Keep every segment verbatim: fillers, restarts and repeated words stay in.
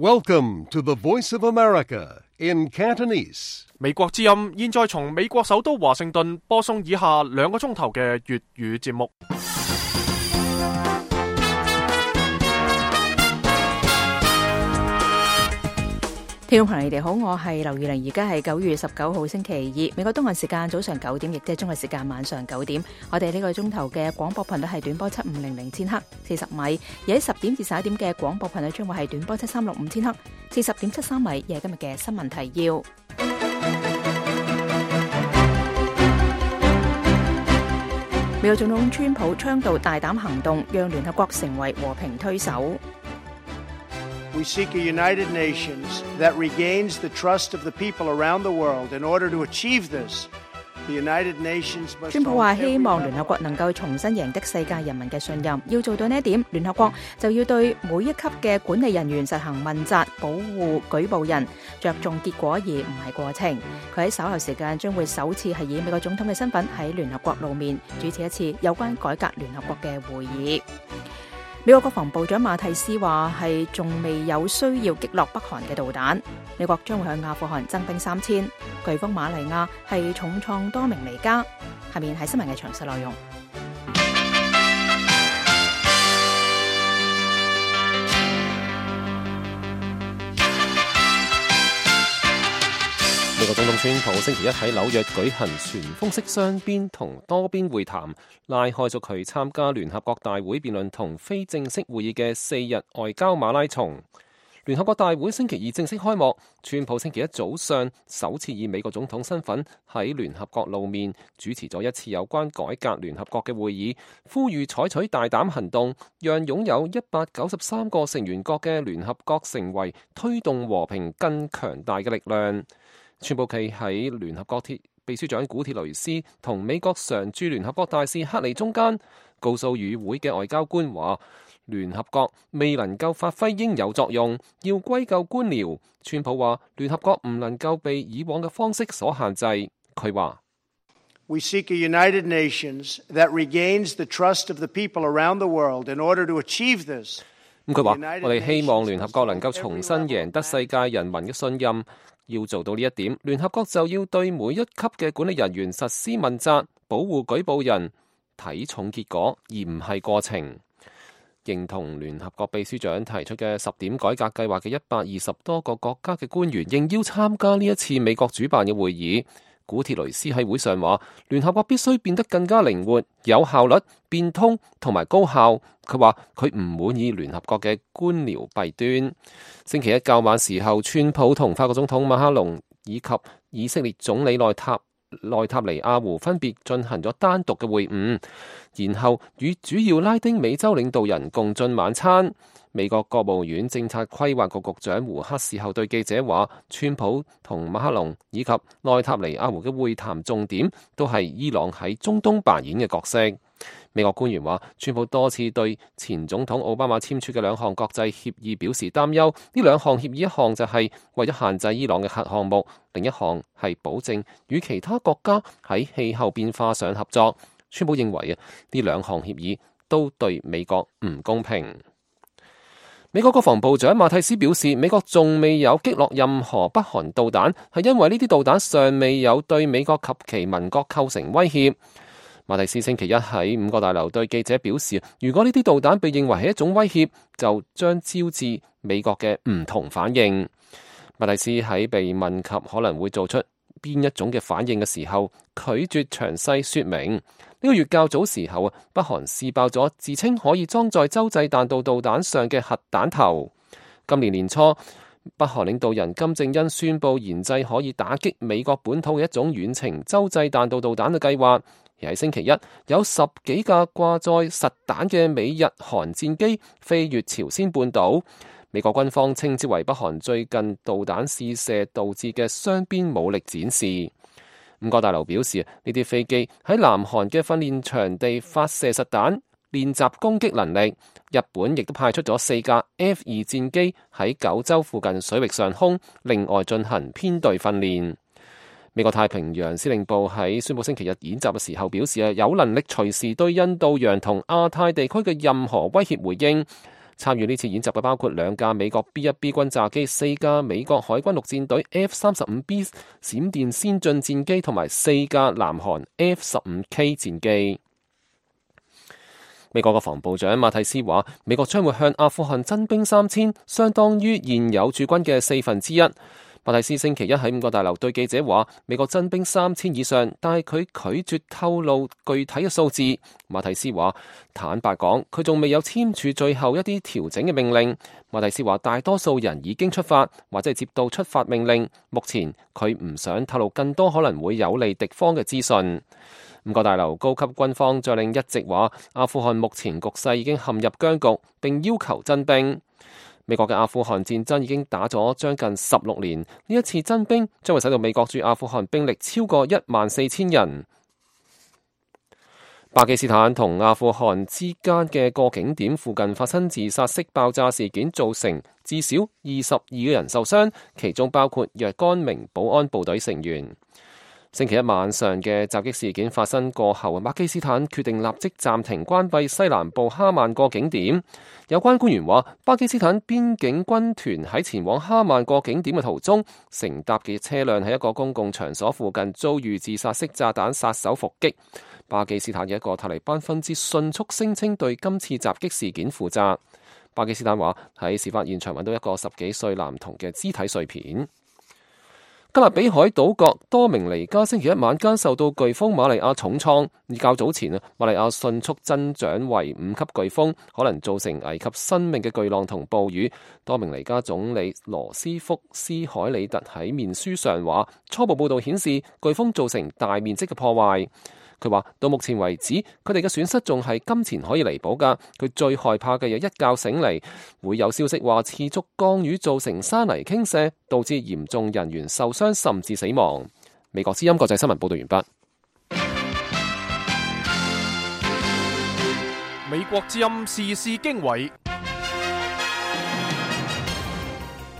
Welcome to the Voice of America in Cantonese. 美國之音現在從美國首都華盛頓播送以下兩個鐘頭嘅粵語節目。聽眾朋友，你哋好，我係劉宇玲，而家係九月十九號星期二，美國東岸時間早上九點，亦即係中國時間晚上九點。我哋呢個鐘頭嘅廣播頻率係短波七五零零千克，四十米；而喺十點至十一點嘅廣播頻率將會係短波七三六五千克，四十點七三米。而係今日嘅新聞提要。美國總統川普倡導大膽行動，讓聯合國成為和平推手。We seek a united nations that regains the trust of the people around the world. In order to achieve this, the United Nations must... 川普話希望聯合國能夠重新贏得世界人民嘅信任，要做到呢一點，聯合國就要對每一級嘅管理人員實行問責，保護舉報人，着重結果而唔係過程。佢喺稍後時間將會首次係以美國總統嘅身份喺聯合國露面，主持一次有關改革聯合國嘅會議。美國國防部長馬蒂斯話係仲未有需要擊落北韓嘅導彈，美國將會向阿富汗增兵三千。颶風瑪利亞係重創多名離家。下面係新聞嘅詳細內容。美國總統川普星期一喺紐約舉行全封式雙邊同多邊會談，拉開咗佢參加聯合國大會辯論同非正式會議嘅四日外交馬拉松。聯合國大會星期二正式開幕，川普星期一早上首次以美國總統身份喺聯合國露面，主持咗一次有關改革聯合國嘅會議，呼籲採取大膽行動，讓擁有一百九十三個成員國嘅聯合國成為推動和平更強大嘅力量。川普企喺聯合國秘書長古鐵雷斯同美國常駐聯合國大使克里中間，告訴與會嘅外交官話，聯合國未能夠發揮應有作用，要歸咎官僚。川普話聯合國唔能夠被以往嘅方式所限制。佢話 We seek a united nations that regains the trust of the people around the world. In order to achieve this， 咁佢話我哋希望聯合國能夠重新贏得世界人民嘅信任。要做到呢一點，聯合國就要對每一級嘅管理人員實施問責，保護舉報人，睇重結果而唔係過程。認同聯合國秘書長提出嘅十點改革計劃嘅一百二十多個國家嘅官員應邀參加呢一次美國主辦嘅會議。古鐵雷斯喺會上話，聯合國必須變得更加靈活、有效率、變通同埋高效。佢話佢唔滿意聯合國嘅官僚弊端。星期一較晚時候，川普同法國總統馬克龍以及以色列總理內塔內塔尼亞胡分別進行咗單獨嘅會晤，然後與主要拉丁美洲領導人共進晚餐。美國國務院政策規劃局局長胡克事後對記者話，川普同馬克龍以及內塔尼亞胡嘅會談重點都係伊朗喺中東扮演嘅角色。美國官員話，川普多次對前總統奧巴馬簽署嘅兩項國際協議表示擔憂。呢兩項協議，一項就係為咗限制伊朗嘅核項目，另一項係保證與其他國家喺氣候變化上合作。川普認為啊，呢兩項協議都對美國唔公平。美國國防部長馬蒂斯表示，美國仲未有擊落任何北韓導彈，係因為呢啲導彈尚未有對美國及其盟國構成威脅。馬蒂斯星期一喺五角大樓對記者表示，如果呢啲導彈被認為係一種威脅，就將招致美國嘅唔同反應。馬蒂斯喺被問及可能會做出邊一種嘅反應嘅時候，拒絕詳細說明。呢個月較早時候啊，北韓試爆咗自稱可以裝載洲際彈道導彈上嘅核彈頭。今年年初，北韓領導人金正恩宣布研製可以打擊美國本土嘅一種遠程洲際彈道導彈嘅計劃。而喺星期一，有十幾架掛載實彈嘅美日韓戰機飛越朝鮮半島。美國軍方稱之為北韓最近導彈試射導致嘅雙邊武力展示。五角大樓表示，呢啲飛機喺南韓嘅訓練場地發射實彈，練習攻擊能力。日本亦都派出咗四架 F 二戰機喺九州附近水域上空，另外進行編隊訓練。美國太平洋司令部喺宣布星期日演習嘅時候表示，有能力隨時對印度洋同亞太地區嘅任何威脅回應。參與呢次演習嘅包括兩架美國 B 一 B 轟炸機、四架美國海軍陸戰隊 F 三十五 B 閃電先進戰機同埋四架南韓 F 十五 K 戰機。美國國防部長馬蒂斯話，美國將會向阿富汗增兵三千，相當於現有駐軍嘅四分之一。馬蒂斯星期一喺五角大樓對記者話，美國增兵三千以上，但係佢拒絕透露具體嘅數字。馬蒂斯話，坦白講，佢仲未有簽署最後一啲調整嘅命令。馬蒂斯話，大多數人已經出發或者係接到出發命令，目前佢唔想透露更多可能會有利敵方嘅資訊。五角大樓高級軍方將領一直話，阿富汗目前局勢已經陷入僵局，並要求增兵。美國嘅阿富汗戰爭已經打咗將近十六年，呢一次增兵將會使到美國駐阿富汗兵力超過一萬四千人。巴基斯坦同阿富汗之間嘅過境點附近發生自殺式爆炸事件，造成至少二十二個人受傷，其中包括若干名保安部隊成員。星期一晚上嘅襲擊事件發生過後，巴基斯坦決定立即暫停關閉西南部哈曼過境點。有關官員話，巴基斯坦邊境軍團喺前往哈曼過境點嘅途中，乘搭嘅車輛喺一個公共場所附近遭遇自殺式炸彈殺手伏擊。巴基斯坦嘅一個塔利班分支迅速聲稱對今次襲擊事件負責。巴基斯坦話喺事發現場揾到一個十幾歲男童嘅肢體碎片。加勒比海島國多明尼加星期一晚間受到颶風瑪利亞重創，而較早前啊，瑪利亞迅速增長為五級颶風，可能造成危及生命嘅巨浪同暴雨。多明尼加總理羅斯福斯海里特喺面書上話，初步報道顯示颶風造成大面積嘅破壞。佢話到目前為止，佢哋嘅損失仲係金錢可以彌補㗎。佢最害怕嘅有一覺醒嚟，會有消息話持續降雨造成山泥傾瀉，導致嚴重人員受傷甚至死亡。美國之音國際新聞報道完畢。美國之音時事經緯，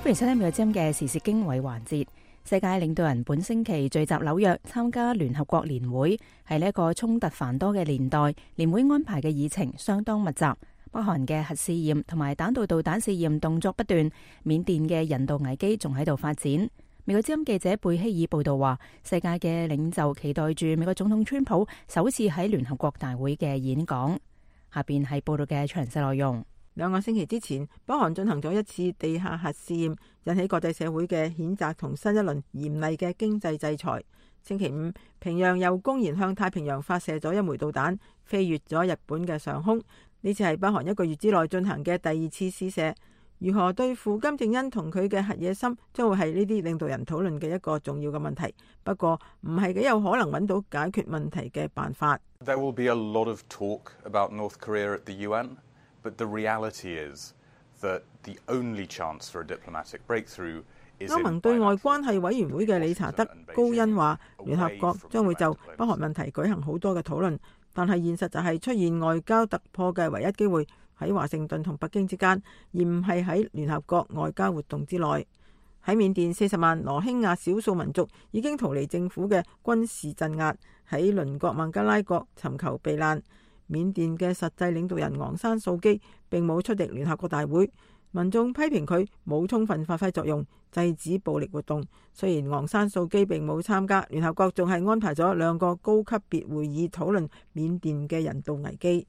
歡迎收聽美國之音嘅時事經緯環節。世界領導人本星期聚集紐約參加聯合國年會，係呢一個衝突繁多嘅年代，年會安排嘅議程相當密集。北韓嘅核試驗同埋彈道導彈試驗動作不斷，緬甸嘅人道危機仲喺度發展。美國之音記者貝希爾報道話，世界嘅領袖期待住美國總統川普首次喺聯合國大會嘅演講。下邊係報道嘅詳細內容。兩個星期之前，北韓進行咗一次地下核試驗，引起國際社會嘅譴責同新一輪嚴厲嘅經濟制裁。星期五，平壤又公然向太平洋發射咗一枚導彈，飛越咗日本嘅上空。呢次係北韓一個月之內進行嘅第二次試射。如何對付金正恩同佢嘅核野心，將會係呢啲領導人討論嘅一個重要嘅問題。不過，唔係幾有可能揾到解決問題嘅辦法。There will be a lot of talk about North Korea at the U N.But the reality is that the only chance for a diplomatic breakthrough is in 歐盟對外關係委員會嘅理查德高恩話，聯合國將會就北韓問題舉行好多嘅討論，但係現實就係出現外交突破嘅唯一機會喺華盛頓同北京之間，而唔係喺聯合國外交活動之內。喺緬甸，四十萬羅興亞少數民族已經逃離政府嘅軍事鎮壓，喺鄰國孟加拉國尋求避難。緬甸嘅實際領導人昂山素基並冇出席聯合國大會，民眾批評佢冇充分發揮作用，制止暴力活動。雖然昂山素基並冇參加，聯合國仲係安排咗兩個高級別會議討論緬甸嘅人道危機。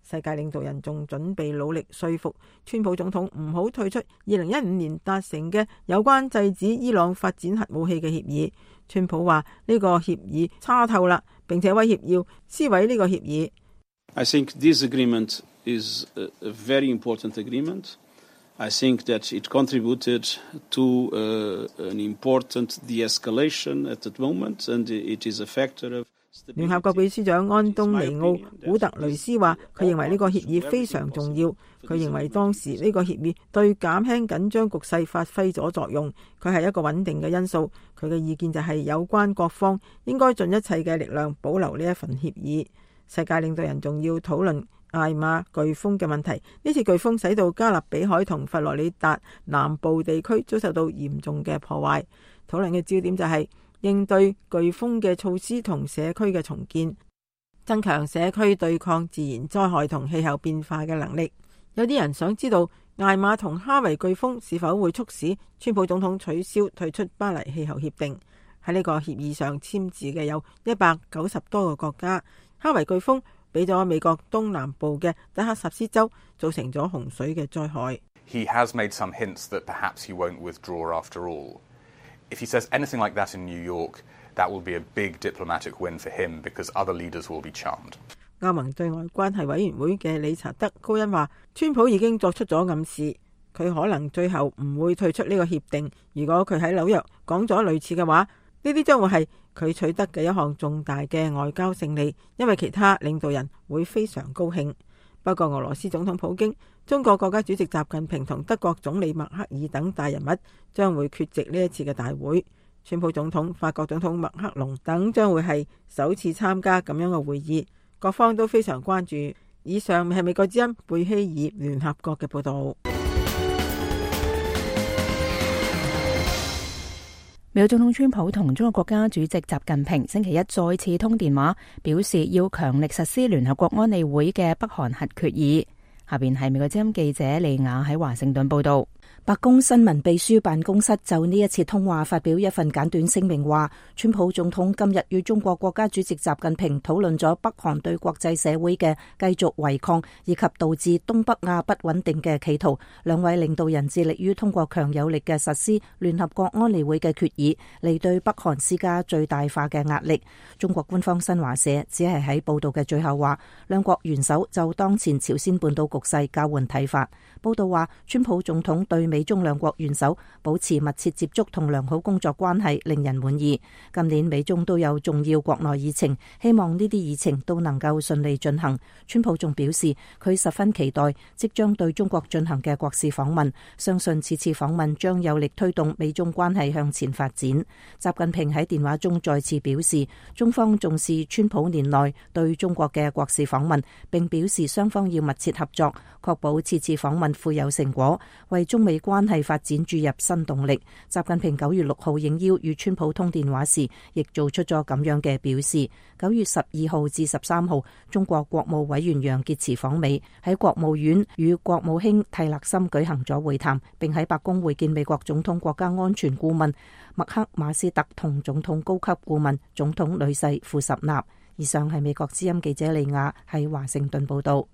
世界領導人仲準備努力說服川普總統唔好退出二零一五年達成嘅有關制止伊朗發展核武器嘅協議。川普話呢個協議差透啦，並且威脅要撕毀呢個協議。I think this agreement is a very important agreement. I think that it contributed to uh, an important de-escalation at that moment, and it is a factor of stability. 聯合國秘書長安東尼奧古特雷斯話，佢認為呢個協議非常重要。佢認為當時呢個協議對減輕緊張局勢發揮咗作用，佢係一個穩定嘅因素。佢嘅意見就係有關各方應該盡一切嘅力量保留呢一份協議。世界領導人仲要討論艾瑪颶風嘅問題。呢次颶風使到加勒比海同佛羅里達南部地區遭受到嚴重嘅破壞。討論嘅焦點就係應對颶風嘅措施同社區嘅重建，增強社區對抗自然災害同氣候變化嘅能力。有啲人想知道艾瑪同哈維颶風是否會促使川普總統取消退出巴黎氣候協定。喺呢個協議上簽字嘅有一百九十多個國家。哈維颶風俾咗美國東南部嘅德克薩斯州造成咗洪水嘅災害。He has made some hints that perhaps he won't withdraw after all. If he says anything like that in New York, that will be a big diplomatic win for him because other leaders will be charmed. 歐盟對外關係委員會嘅理查德高恩話，川普已經作出咗暗示，佢可能最後唔會退出呢個協定。如果佢喺紐約講咗類似嘅話，呢啲將會係佢取得嘅一項重大嘅外交勝利，因為其他領導人會非常高興。不過俄羅斯總統普京、中國國家主席習近平同德國總理默克爾等大人物將會缺席呢一次嘅大會。川普總統、法國總統馬克龍等將會係首次參加咁樣嘅會議，各方都非常關注。以上係美國之音貝希爾聯合國嘅報道。美國總統川普同中國國家主席習近平星期一再次通電話，表示要強力實施聯合國安理會嘅北韓核決議。下邊係美國之音記者利亞喺華盛頓報道。白宮新聞秘書辦公室就呢一次通話發表一份簡短聲明，話川普總統今日與中國國家主席習近平討論咗北韓對國際社會嘅繼續違抗以及導致東北亞不穩定嘅企圖。兩位領導人致力於通過強有力嘅實施聯合國安理會嘅決議嚟對北韓施加最大化嘅壓力。中國官方新華社只係喺報道嘅最後話，兩國元首就當前朝鮮半島局勢交換睇法。報道話，川普總統對美中兩國元首保持密切接觸同良好工作關係，令人滿意。今年美中都有重要國內議程，希望呢啲議程都能夠順利進行。川普仲表示，佢十分期待即將對中國進行嘅國事訪問，相信此次訪問將有力推動美中關係向前發展。習近平喺電話中再次表示，中方重視川普年內對中國嘅國事訪問，並表示雙方要密切合作，確保此次訪問富有成果，為中美關係發展注入新動力。習近平九月六號應邀與川普通電話時，亦做出咗咁樣嘅表示。九月十二號至十三號，中國國務委員楊潔篪訪美，喺國務院與國務卿蒂勒森舉行咗會談，並喺白宮會見美國總統國家安全顧問麥克馬斯特同總統高級顧問總統女婿庫什納。以上係美國之音記者利亞喺華盛頓報道。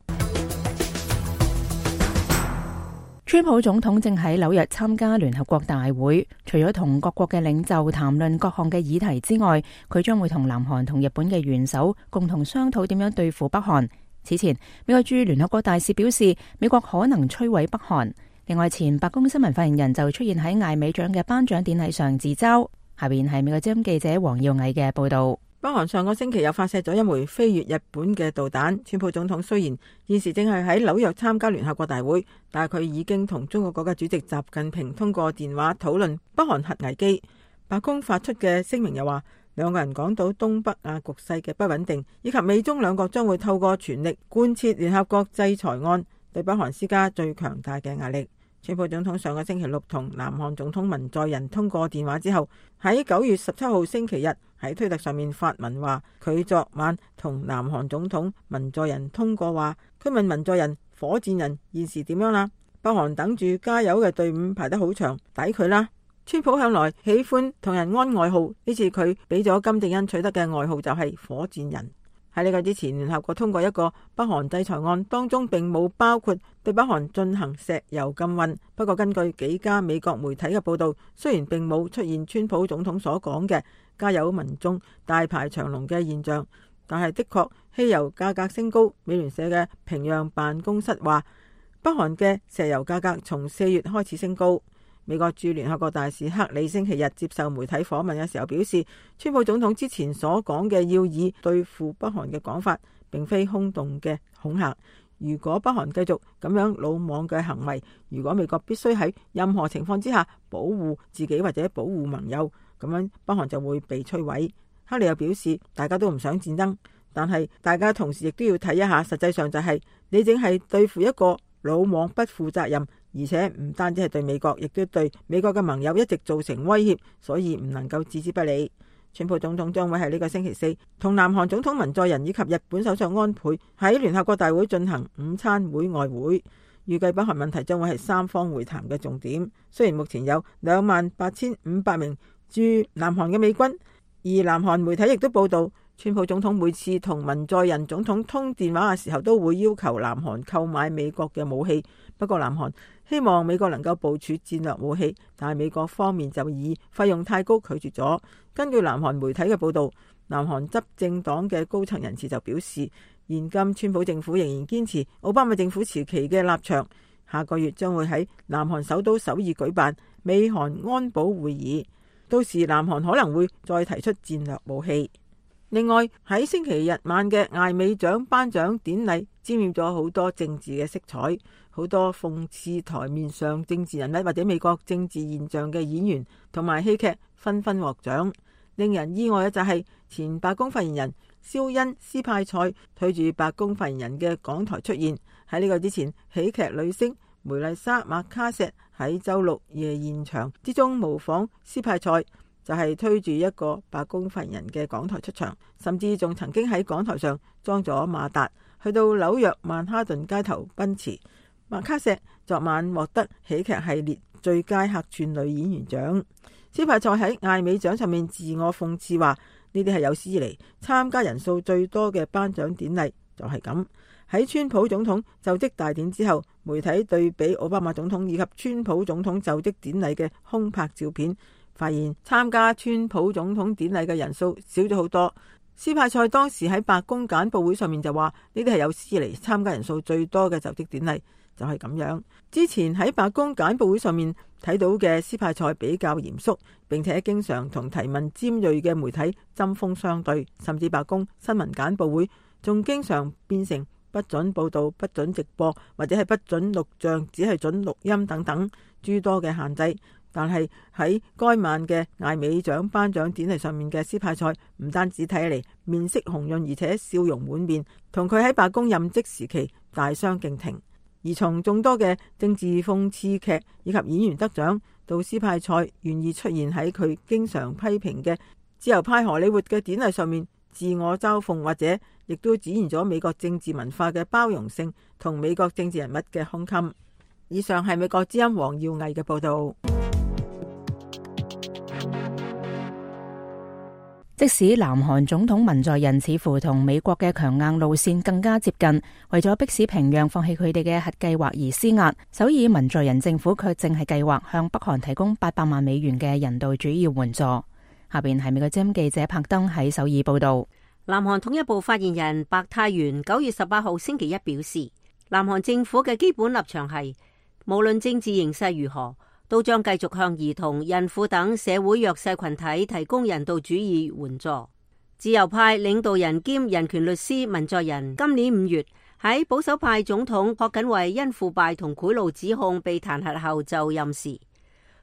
川普總統正喺紐約參加聯合國大會，除咗同各國嘅領袖談論各項嘅議題之外，佢將會同南韓同日本嘅元首共同商討點樣對付北韓。此前，美國駐聯合國大使表示，美國可能摧毀北韓。另外，前白宮新聞發言人就出現喺艾美獎嘅頒獎典禮上自嘲。下邊係美國之音記者黃耀毅嘅報道。北韓上個星期又發射咗一枚飛越日本嘅導彈。川普總統雖然現時正係喺紐約參加聯合國大會，但係佢已經同中國國家主席習近平通過電話討論北韓核危機。白宮發出嘅聲明又話，兩個人講到東北亞局勢嘅不穩定，以及美中兩國將會透過全力貫徹聯合國制裁案，對北韓施加最強大嘅壓力。川普總統上個星期六同南韓總統文在寅通過電話之後，喺九月十七號星期日喺推特上面發文話，佢昨晚同南韓總統文在寅通過話，佢問文在寅火箭人現時點樣啦？北韓等住加油嘅隊伍排得好長，抵佢啦！川普向來喜歡同人安外號，呢次佢俾咗金正恩取得嘅外號就係火箭人。喺呢個之前，聯合國通過一個北韓制裁案，當中並冇包括對北韓進行石油禁運。不過根據幾家美國媒體嘅報道，雖然並冇出現川普總統所講嘅加油民眾大排長龍嘅現象，但係的確汽油價格升高。美聯社嘅平壤辦公室話，北韓嘅石油價格從四月開始升高。美國駐聯合國大使克里星期日接受媒體訪問嘅時候表示，川普總統之前所講嘅要以對付北韓嘅講法，並非空洞嘅恐嚇。如果北韓繼續咁樣魯莽嘅行為，如果美國必須喺任何情況之下保護自己或者保護盟友，咁樣北韓就會被摧毀。克里又表示，大家都唔想戰爭，但係大家同時亦都要睇一下，實際上就係你淨係對付一個魯莽不負責任，而且唔單止係對美國，亦都對美國嘅盟友一直造成威脅，所以唔能夠置之不理。川普總統將會喺呢個星期四同南韓總統文在寅以及日本首相安倍喺聯合國大會進行午餐會外會。預計北韓問題將會係三方會談嘅重點。雖然目前有兩萬八千五百名駐南韓嘅美軍，而南韓媒體亦都報道，川普總統每次同文在寅總統通電話嘅時候，都會要求南韓購買美國嘅武器。不過南韓希望美國能夠部署戰略武器，但係美國方面就以費用太高拒絕咗。根據南韓媒體嘅報道，南韓執政黨嘅高層人士就表示，現今川普政府仍然堅持奧巴馬政府時期嘅立場，下個月將會喺南韓首都首爾舉辦美韓安保會議，到時南韓可能會再提出戰略武器。另外喺星期日晚嘅艾美獎頒獎典禮，沾染咗好多政治嘅色彩，好多諷刺台面上政治人物或者美國政治現象嘅演員同埋戲劇紛紛獲獎。令人意外嘅就係前白宮發言人肖恩斯派塞推住白宮發言人嘅講台出現。喺呢個之前，喜劇女星梅麗莎麥卡錫喺周六夜現場之中模仿斯派塞，就係推住一個白宮發言人嘅講台出場，甚至仲曾經喺講台上裝咗馬達，去到紐約曼哈頓街頭奔馳。麥卡錫昨晚獲得喜劇系列最佳客串女演員獎。斯派塞喺艾美獎上面自我諷刺話，呢啲係有史以嚟參加人數最多嘅頒獎典禮，就係咁。喺川普總統就職大典之後，媒體對比奧巴馬總統以及川普總統就職典禮嘅空拍照片，發現參加川普總統典禮嘅人數少咗好多。斯派塞當時喺白宮簡報會上面就話，呢啲係有史以嚟參加人數最多嘅就職典禮，就係咁樣。之前喺白宮簡報會上面睇到嘅斯派塞比較嚴肅，並且經常同提問尖銳嘅媒體針鋒相對，甚至白宮新聞簡報會仲經常變成不准報道、不准直播，或者係不准錄像，只係准錄音等等諸多嘅限制。但係喺該晚嘅艾美獎頒獎典禮上面嘅斯派塞，唔單止睇起嚟面色紅潤，而且笑容滿面，同佢喺白宮任職時期大相徑庭。而從眾多嘅政治諷刺劇以及演員得獎，到斯派塞願意出現喺佢經常批評嘅自由派荷里活嘅典禮上面自我嘲諷，或者亦都展現咗美國政治文化嘅包容性同美國政治人物嘅胸襟。以上係美國之音黃耀毅嘅報道。即使南韓總統文在寅似乎同美國嘅強硬路線更加接近，為咗迫使平壤放棄佢哋嘅核計劃而施壓，首爾文在寅政府卻正係計劃向北韓提供八百萬美元嘅人道主義援助。下邊係美國之音記者柏登喺首爾報道。南韓統一部發言人白泰元九月十八號星期一表示，南韓政府嘅基本立場係，無論政治形勢如何，都將繼續向兒童、孕婦等社會弱勢群體提供人道主義援助。自由派領導人兼人權律師文在寅今年五月喺保守派總統朴槿惠因腐敗同賄賂指控被彈劾後就任時，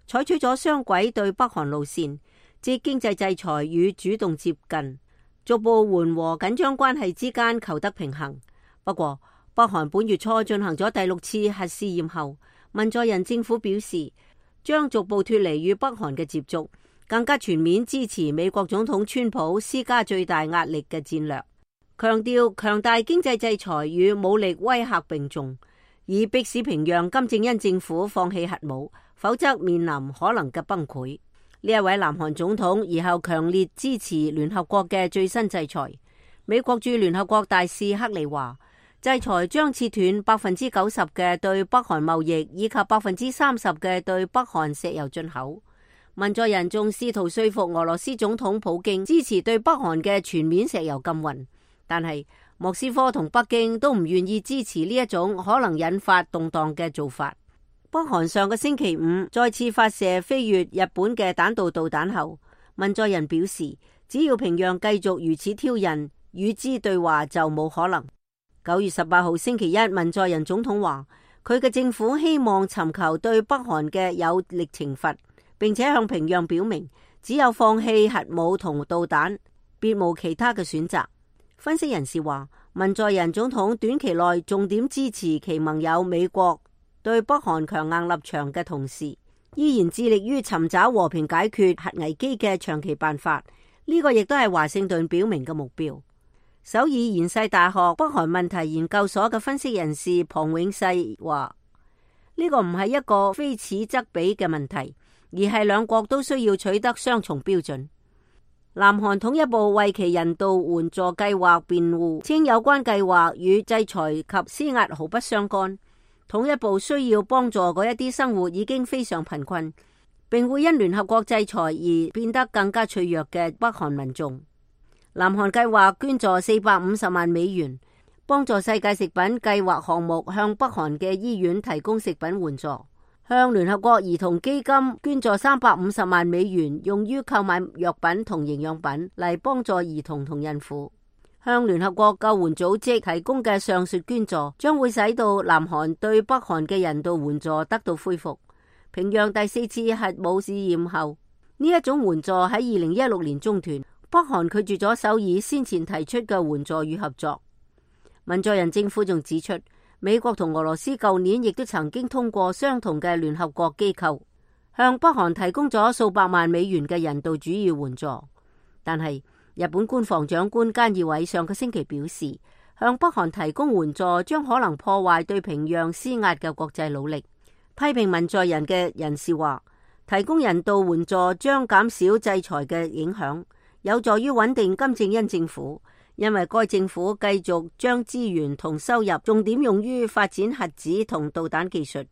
採取咗雙軌對北韓路線，即經濟制裁與主動接近，逐步緩和緊張關係之間求得平衡。不過，北韓本月初進行咗第六次核試驗後，文在寅政府表示，將逐步脫離與北韓嘅接觸，更加全面支持美國總統川普施加最大壓力嘅戰略，強調強大經濟制裁與武力威嚇並重，以迫使平壤金正恩政府放棄核武，否則面臨可能嘅崩潰。呢一位南韓總統而後強烈支持聯合國嘅最新制裁。美國駐聯合國大使克里話，制裁將切斷百分之九十嘅對北韓貿易，以及百分之三十嘅對北韓石油進口。文在寅仲試圖說服俄羅斯總統普京支持對北韓嘅全面石油禁運，但係莫斯科同北京都唔願意支持呢一種可能引發動盪嘅做法。北韓上個星期五再次發射飛越日本嘅彈道導彈後，文在寅表示，只要平壤繼續如此挑釁，與之對話就冇可能。九月十八號星期一，文在寅總統話，佢嘅政府希望尋求對北韓嘅有力懲罰，並且向平壤表明，只有放棄核武同導彈，別無其他嘅選擇。分析人士話，文在寅總統短期內重點支持其盟友美國對北韓強硬立場嘅同時，依然致力於尋找和平解決核危機嘅長期辦法。呢、這個亦都係華盛頓表明嘅目標。首爾延世大學北韓問題研究所嘅分析人士龐永世話，呢個唔係一個非此則彼嘅問題，而係兩國都需要取得雙重標準。南韓統一部為其人道援助計劃辯護，稱有關計劃與制裁及施壓毫不相干。統一部需要幫助嗰一啲生活已經非常貧困，並會因聯合國制裁而變得更加脆弱嘅北韓民眾。南韓計劃捐助四百五十萬美元，幫助世界食品計劃項目向北韓嘅醫院提供食品援助。向聯合國兒童基金捐助三百五十萬美元，用於購買藥品同營養品嚟幫助兒童同孕婦。向聯合國救援組織提供嘅上述捐助，將會使到南韓對北韓嘅人道援助得到恢復。平壤第四次核武試驗後，呢一種援助喺二零一六年中斷。北韓拒絕咗首爾先前提出嘅援助與合作。文在寅政府仲指出，美國同俄羅斯舊年亦都曾經通過相同嘅聯合國機構，向北韓提供咗數百萬美元嘅人道主義援助。但係日本官房長官菅義偉上個星期表示，向北韓提供援助將可能破壞對平壤施壓嘅國際努力。批評文在寅嘅人士話，提供人道援助將減少制裁嘅影響，有助於穩定金正恩政府。因為該政府繼續將資源同收入重點用於發展核子同導彈技術。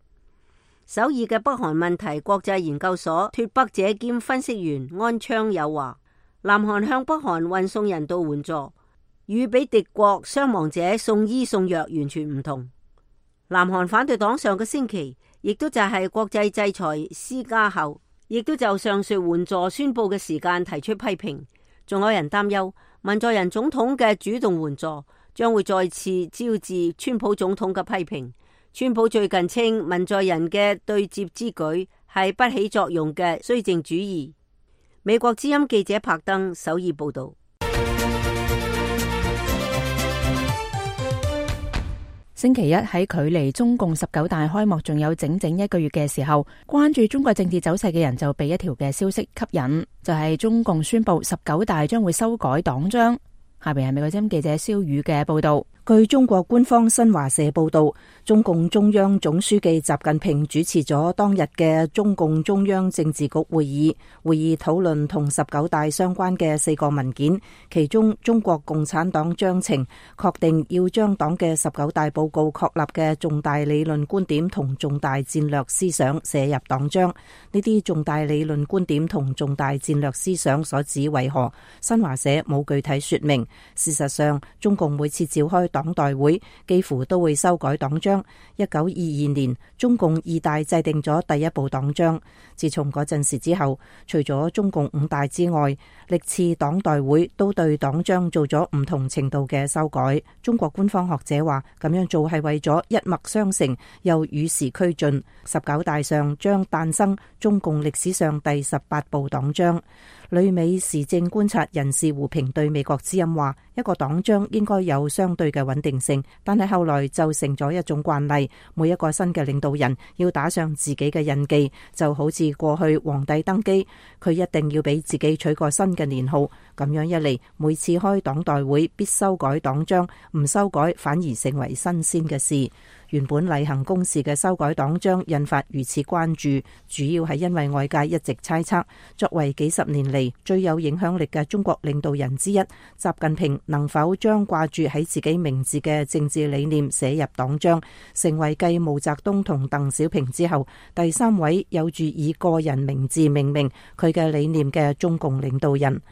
首爾嘅北韓問題國際研究所脫北者兼分析員安昌友話，南韓向北韓運送人道援助，與俾敵國傷亡者送醫送藥完全唔同。南韓反對黨上個星期亦都就係國際制裁施加後，亦都就上述援助宣布嘅時間提出批評。仲有人擔憂文在寅總統嘅主動援助將會再次招致川普總統嘅批評。川普最近稱文在寅嘅對接之舉係不起作用嘅綏靖主義。美國之音記者柏登首爾報道。星期一喺距離中共十九大開幕仲有整整一個月嘅時候，關注中國政治走勢嘅人就被一條嘅消息吸引，就係、是、中共宣布十九大將會修改黨章。下邊係美國之音記者蕭宇嘅報道。據中國官方新華社報道，中共中央總書記習近平主持咗當日嘅中共中央政治局會議，會議討論同十九大相關嘅四個文件，其中中國共產黨章程確定要將黨嘅十九大報告確立嘅重大理論觀點同重大戰略思想寫入黨章。呢啲重大理論觀點同重大戰略思想所指為何？新華社冇具體說明。事實上，中共每次召開黨代會幾乎都會修改黨章。一九二二年，中共二大制定咗第一部黨章。自從嗰陣時之後，除咗中共五大之外，歷次黨代會都對黨章做咗唔同程度嘅修改。中國官方學者話，咁樣做係為咗一脈相承，又與時俱進。十九大上將誕生中共歷史上第十八部黨章。旅美時政觀察人士胡平對美國之音話，一個黨章應該有相對嘅穩定性，但係後來就成咗一種慣例，每一個新嘅領導人要打上自己嘅印記，就好似過去皇帝登基，佢一定要俾自己取個新嘅年號，咁樣一嚟，每次開黨代會必修改黨章，唔修改反而成為新鮮嘅事。原本例行公事嘅修改黨章引發如此關注，主要係因為外界一直猜測，作為幾十年嚟最有影響力嘅中國領導人之一，習近平能否將掛住喺自己名字嘅政治理念寫入黨章，成為繼毛澤東同鄧小平之後第三位有住以個人名字命名佢嘅理念嘅中共領導人。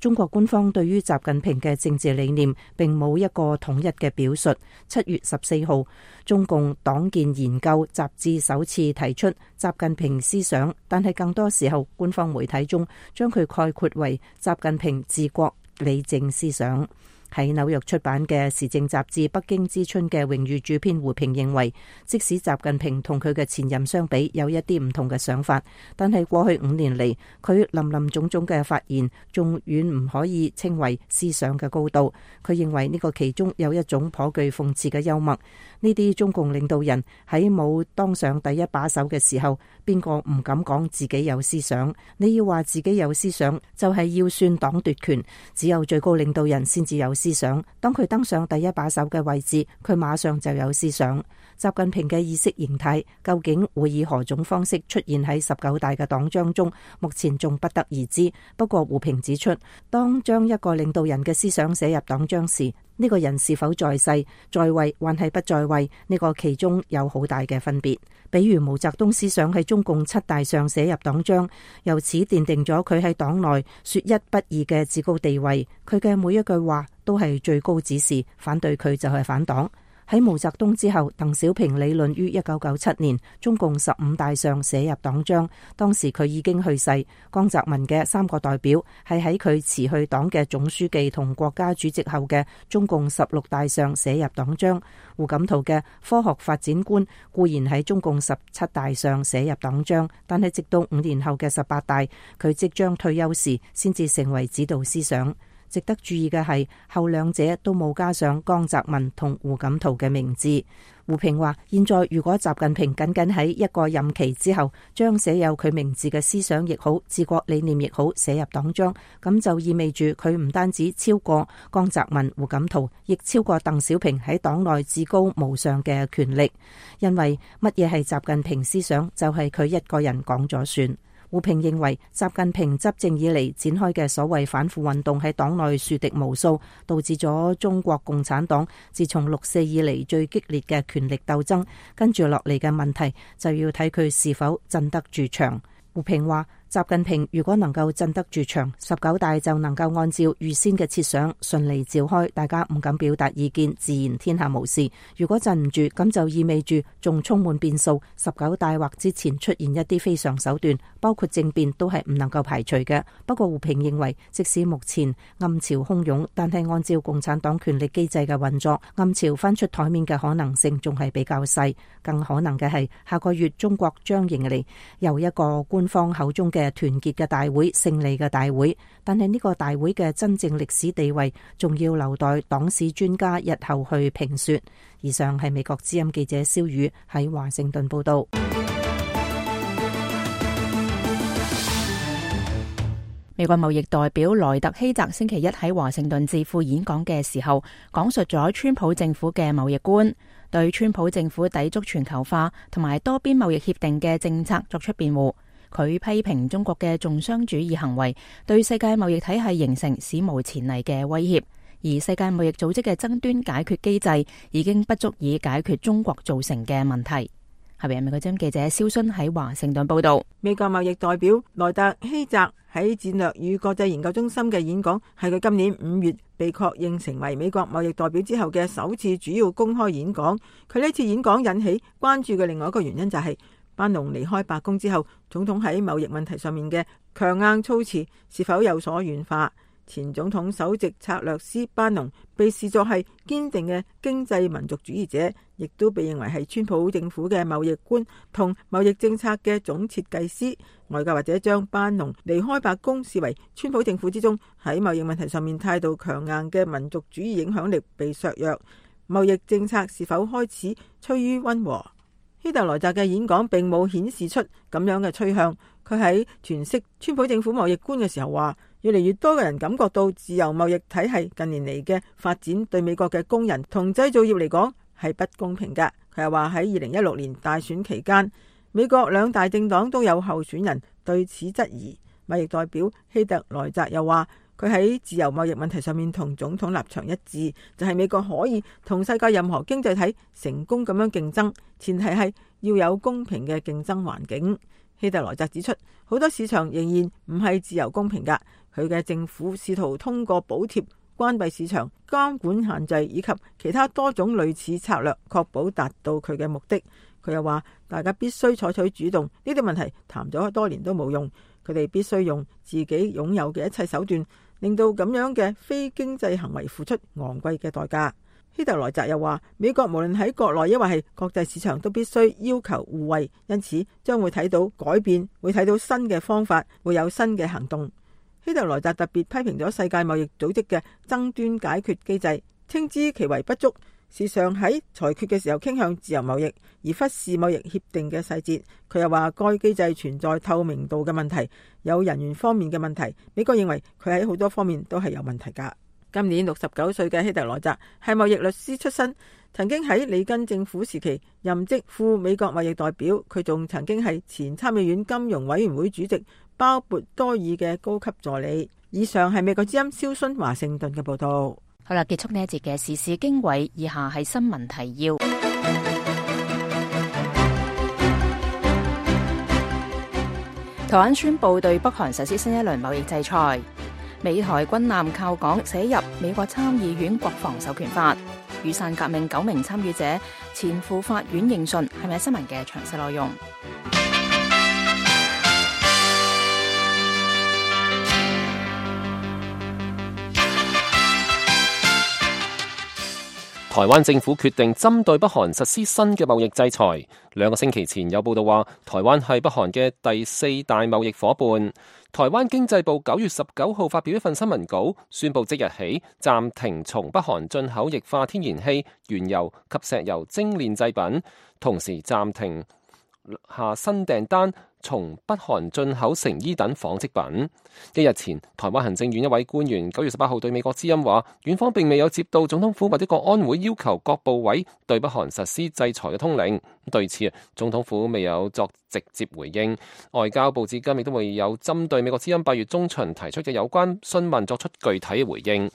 中國官方對於習近平嘅政治理念並冇一個統一嘅表述。七月十四號，中共黨建研究雜誌首次提出習近平思想，但係更多時候官方媒體中將佢概括為習近平治國理政思想。喺紐約出版嘅時政雜誌《北京之春》嘅榮譽主編胡平認為，即使習近平同佢嘅前任相比有一啲唔同嘅想法，但係過去五年嚟佢林林總總嘅發言仲遠唔可以稱為思想嘅高度。佢認為呢個其中有一種頗具諷刺嘅幽默。呢啲中共領導人喺冇當上第一把手嘅時候，邊個唔敢講自己有思想？你要話自己有思想，就係要算黨奪權，只有最高領導人先至有思思想。當佢登上第一把手嘅位置，佢馬上就有思想。習近平嘅意識形態究竟會以何種方式出現喺十九大嘅黨章中，目前仲不得而知。不過胡平指出，當將一個領導人嘅思想寫入黨章時，呢個人是否在世、在位還係不在位，呢個其中有好大嘅分別。比如毛澤東思想喺中共七大上寫入黨章，由此奠定咗佢喺黨內說一不二嘅至高地位。佢嘅每一句話都係最高指示，反對佢就係反黨。喺毛澤東之後，鄧小平理論於一九九七年中共十五大上寫入黨章，當時佢已經去世。江澤民嘅三個代表係喺佢辭去黨嘅總書記同國家主席後嘅中共十六大上寫入黨章。胡錦濤嘅科學發展觀固然喺中共十七大上寫入黨章，但係直到五年後嘅十八大，佢即將退休時，先至成為指導思想。值得注意嘅係，後兩者都冇加上江澤民同胡錦濤嘅名字。胡平話：現在如果習近平僅僅喺一個任期之後，將寫有佢名字嘅思想亦好、治國理念亦好寫入黨章，咁就意味住佢唔單止超過江澤民、胡錦濤，亦超過鄧小平喺黨內至高無上嘅權力。因為乜嘢係習近平思想，就係佢一個人講咗算。胡平認為，習近平執政以嚟展開嘅所謂反腐運動喺黨內樹敵無數，導致咗中國共產黨自從六四以嚟最激烈嘅權力鬥爭。跟住落嚟嘅問題就要睇佢是否鎮得住場。胡平話：習近平如果能夠鎮得住場，十九大就能夠按照預先嘅設想順利召開，大家唔敢表達意見，自然天下無事。如果鎮唔住，咁就意味住仲充滿變數，十九大或之前出現一啲非常手段，包括政變，都係唔能夠排除嘅。不過胡平認為，即使目前暗潮洶湧，但係按照共產黨權力機制嘅運作，暗潮翻出台面嘅可能性仲係比較細。更可能嘅係下個月中國將迎嚟由一個官方口中嘅團結嘅大會、勝利嘅大會，但係呢個大會嘅真正歷史地位仲要留待黨史專家日後去評說。以上係美國之音記者蕭宇喺華盛頓報道。美國貿易代表萊特希澤星期一喺華盛頓智庫演講嘅時候，講述咗川普政府嘅貿易觀，對川普政府抵觸全球化同埋多邊貿易協定嘅政策作出辯護。佢批評中國嘅重商主義行為對世界貿易體系形成史無前例嘅威脅，而世界貿易組織嘅爭端解決機制已經不足以解決中國造成嘅問題。下邊係美國之音記者蕭薰喺華盛頓報道。美國貿易代表萊特希澤喺戰略與國際研究中心嘅演講，係佢今年五月被確認成為美國貿易代表之後嘅首次主要公開演講。佢呢次演講引起關注嘅另外一個原因就係、是班農離開白宮之後，總統喺貿易問題上面嘅強硬措辭是否有所軟化？前總統首席策略師班農被視作係堅定嘅經濟民族主義者，亦都被認為係川普政府嘅貿易官同貿易政策嘅總設計師。外界或者將班農離開白宮視為川普政府之中喺貿易問題上面態度強硬嘅民族主義影響力被削弱，貿易政策是否開始趨於溫和？希特萊澤嘅演講並冇顯示出咁樣嘅趨向。佢喺詮釋川普政府貿易觀嘅時候話，越嚟越多嘅人感覺到自由貿易體系近年嚟嘅發展對美國嘅工人同製造業嚟講係不公平㗎。佢又話喺二零一六年大選期間，美國兩大政黨都有候選人對此質疑。貿易代表希特萊澤又話，佢喺自由貿易問題上面同總統立場一致，就係、是、美國可以同世界任何經濟體成功咁樣競爭，前提係要有公平嘅競爭環境。希特萊澤指出，好多市場仍然唔係自由公平㗎，佢嘅政府試圖通過補貼、關閉市場、監管限制以及其他多種類似策略，確保達到佢嘅目的。佢又話，大家必須採取主動，呢啲問題談咗多年都冇用，佢哋必須用自己擁有嘅一切手段，令到咁樣嘅非經濟行為付出昂貴嘅代價。希特萊澤又話，美國無論喺國內抑或係國際市場都必須要求互惠，因此將會睇到改變，會睇到新嘅方法，會有新嘅行動。希特萊澤特別批評咗世界貿易組織嘅爭端解決機制，稱之其為不足，時常喺裁決嘅時候傾向自由貿易，而忽視貿易協定嘅細節。佢又話，該機制存在透明度嘅問題，有人員方面嘅問題。美國認為佢喺好多方面都係有問題㗎。今年六十九歲嘅希特萊澤係貿易律師出身，曾經喺里根政府時期任職副美國貿易代表。佢仲曾經係前參議院金融委員會主席鮑勃多爾嘅高級助理。以上係美國之音蕭薰華盛頓嘅報道。好啦，結束呢一節嘅時事經緯，以下係新聞提要。台灣宣布對北韓實施新一輪貿易制裁。美台軍艦靠港寫入美國參議院國防授權法。雨傘革命九名參與者前赴法院應訊，係咪新聞嘅詳細內容？台灣政府決定針對北韓實施新嘅貿易制裁。兩個星期前有報道話，台灣係北韓嘅第四大貿易夥伴。台灣經濟部九月十九號發表一份新聞稿，宣布即日起暫停從北韓進口液化天然氣、原油及石油精煉製品，同時暫停下新訂單從北韓進口成衣等紡織品。一日前，台灣行政院一位官員九月十八號對美國之音話，院方並未有接到總統府或者國安會要求各部委對北韓實施制裁嘅通令。對此，總統府未有作直接回應。外交部至今亦都未有針對美國之音八月中旬提出嘅有關詢問作出具體嘅回應。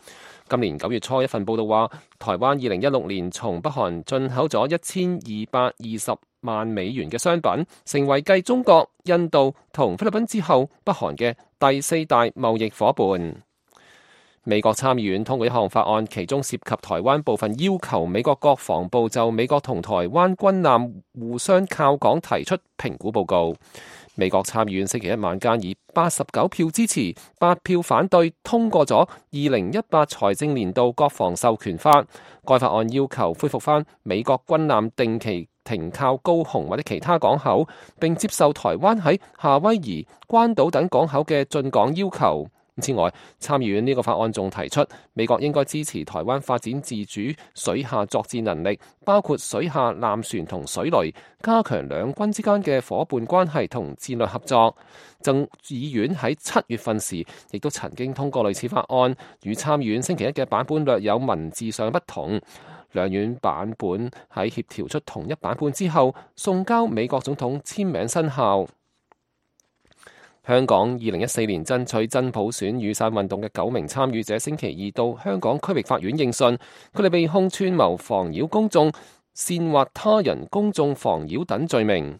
今年九月初，一份報道話，台灣二零一六年從北韓進口咗一千二百二十萬美元嘅商品，成為繼中國、印度同菲律賓之後，北韓嘅第四大貿易夥伴。美國參議院通過一項法案，其中涉及台灣部分要求美國國防部就美國同台灣軍艦互相靠港提出評估報告。美國參議院星期一晚間以八十九票支持、八票反對通過咗二零一八財政年度國防授權法。該法案要求恢復返美國軍艦定期停靠高雄或者其他港口，並接受台灣喺夏威夷、關島等港口嘅進港要求。此外，參議院呢個法案仲提出，美國應該支持台灣發展自主水下作戰能力，包括水下艦船同水雷，加強兩軍之間嘅夥伴關係同戰略合作。眾議院喺七月份時，亦都曾經通過類似法案，與參議院星期一嘅版本略有文字上不同。兩院版本喺協調出同一版本之後，送交美國總統簽名生效。香港二零一四年爭取真普選雨傘運動嘅九名參與者星期二到香港區域法院應訊，佢哋被控串謀妨擾公眾、煽惑他人公眾妨擾等罪名。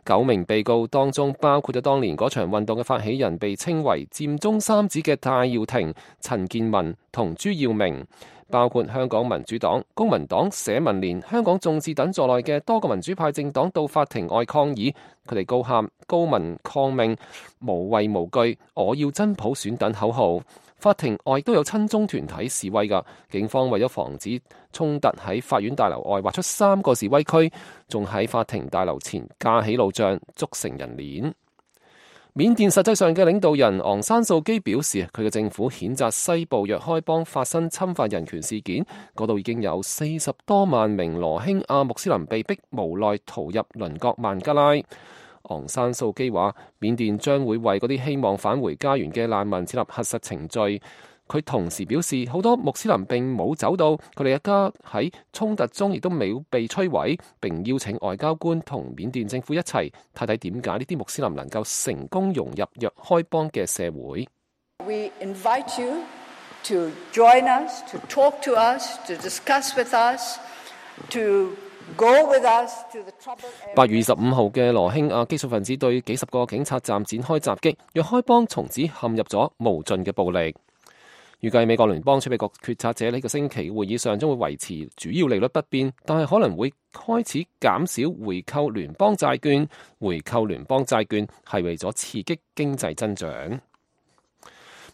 九名被告當中包括咗當年嗰場運動嘅發起人，被稱為佔中三子嘅戴耀廷、陳健民同朱耀明。包括香港民主黨、公民黨、社民連、香港眾志等在內嘅多個民主派政黨到法庭外抗議，佢哋高喊高民抗命、無畏無懼、我要真普選等口號。法庭外都有親中團體示威㗎，警方為咗防止衝突，喺法院大樓外劃出三個示威區，仲喺法庭大樓前架起路障，築成人鏈。緬甸實際上嘅領導人昂山素基表示，佢嘅政府譴責西部若開邦發生侵犯人權事件，嗰度已經有四十多萬名羅興亞穆斯林被逼無奈逃入鄰國孟加拉。昂山素基話，緬甸將會為嗰啲希望返回家園嘅難民設立核實程序。佢同時表示，好多穆斯林並冇走到，佢哋嘅家喺衝突中亦都冇被摧毀，並邀請外交官同緬甸政府一齊睇睇點解呢啲穆斯林能夠成功融入若開邦嘅社會。We invite you to join us, to talk to us, to discuss with us, to go with us to the troubled area. 八月二十五號嘅羅興亞激進分子對幾十個警察站展開襲擊，若開邦從此陷入咗無盡嘅暴力。預計美國聯邦儲備局決策者呢個星期會議上將會維持主要利率不變，但係可能會開始減少回購聯邦債券。回購聯邦債券係為咗刺激經濟增長。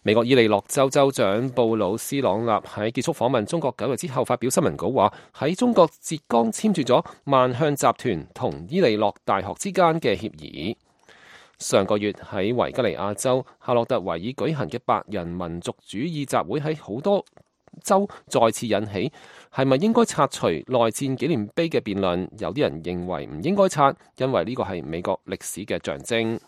美國伊利諾州州長布魯斯朗納喺結束訪問中國九日之後發表新聞稿話，喺中國浙江簽署咗萬向集團同伊利諾大學之間嘅協議。上個月喺維吉尼亞州夏洛特維爾舉行嘅白人民族主義集會喺好多州再次引起係咪應該拆除內戰紀念碑嘅辯論。有啲人認為唔應該拆，因為呢個係美國歷史嘅象徵。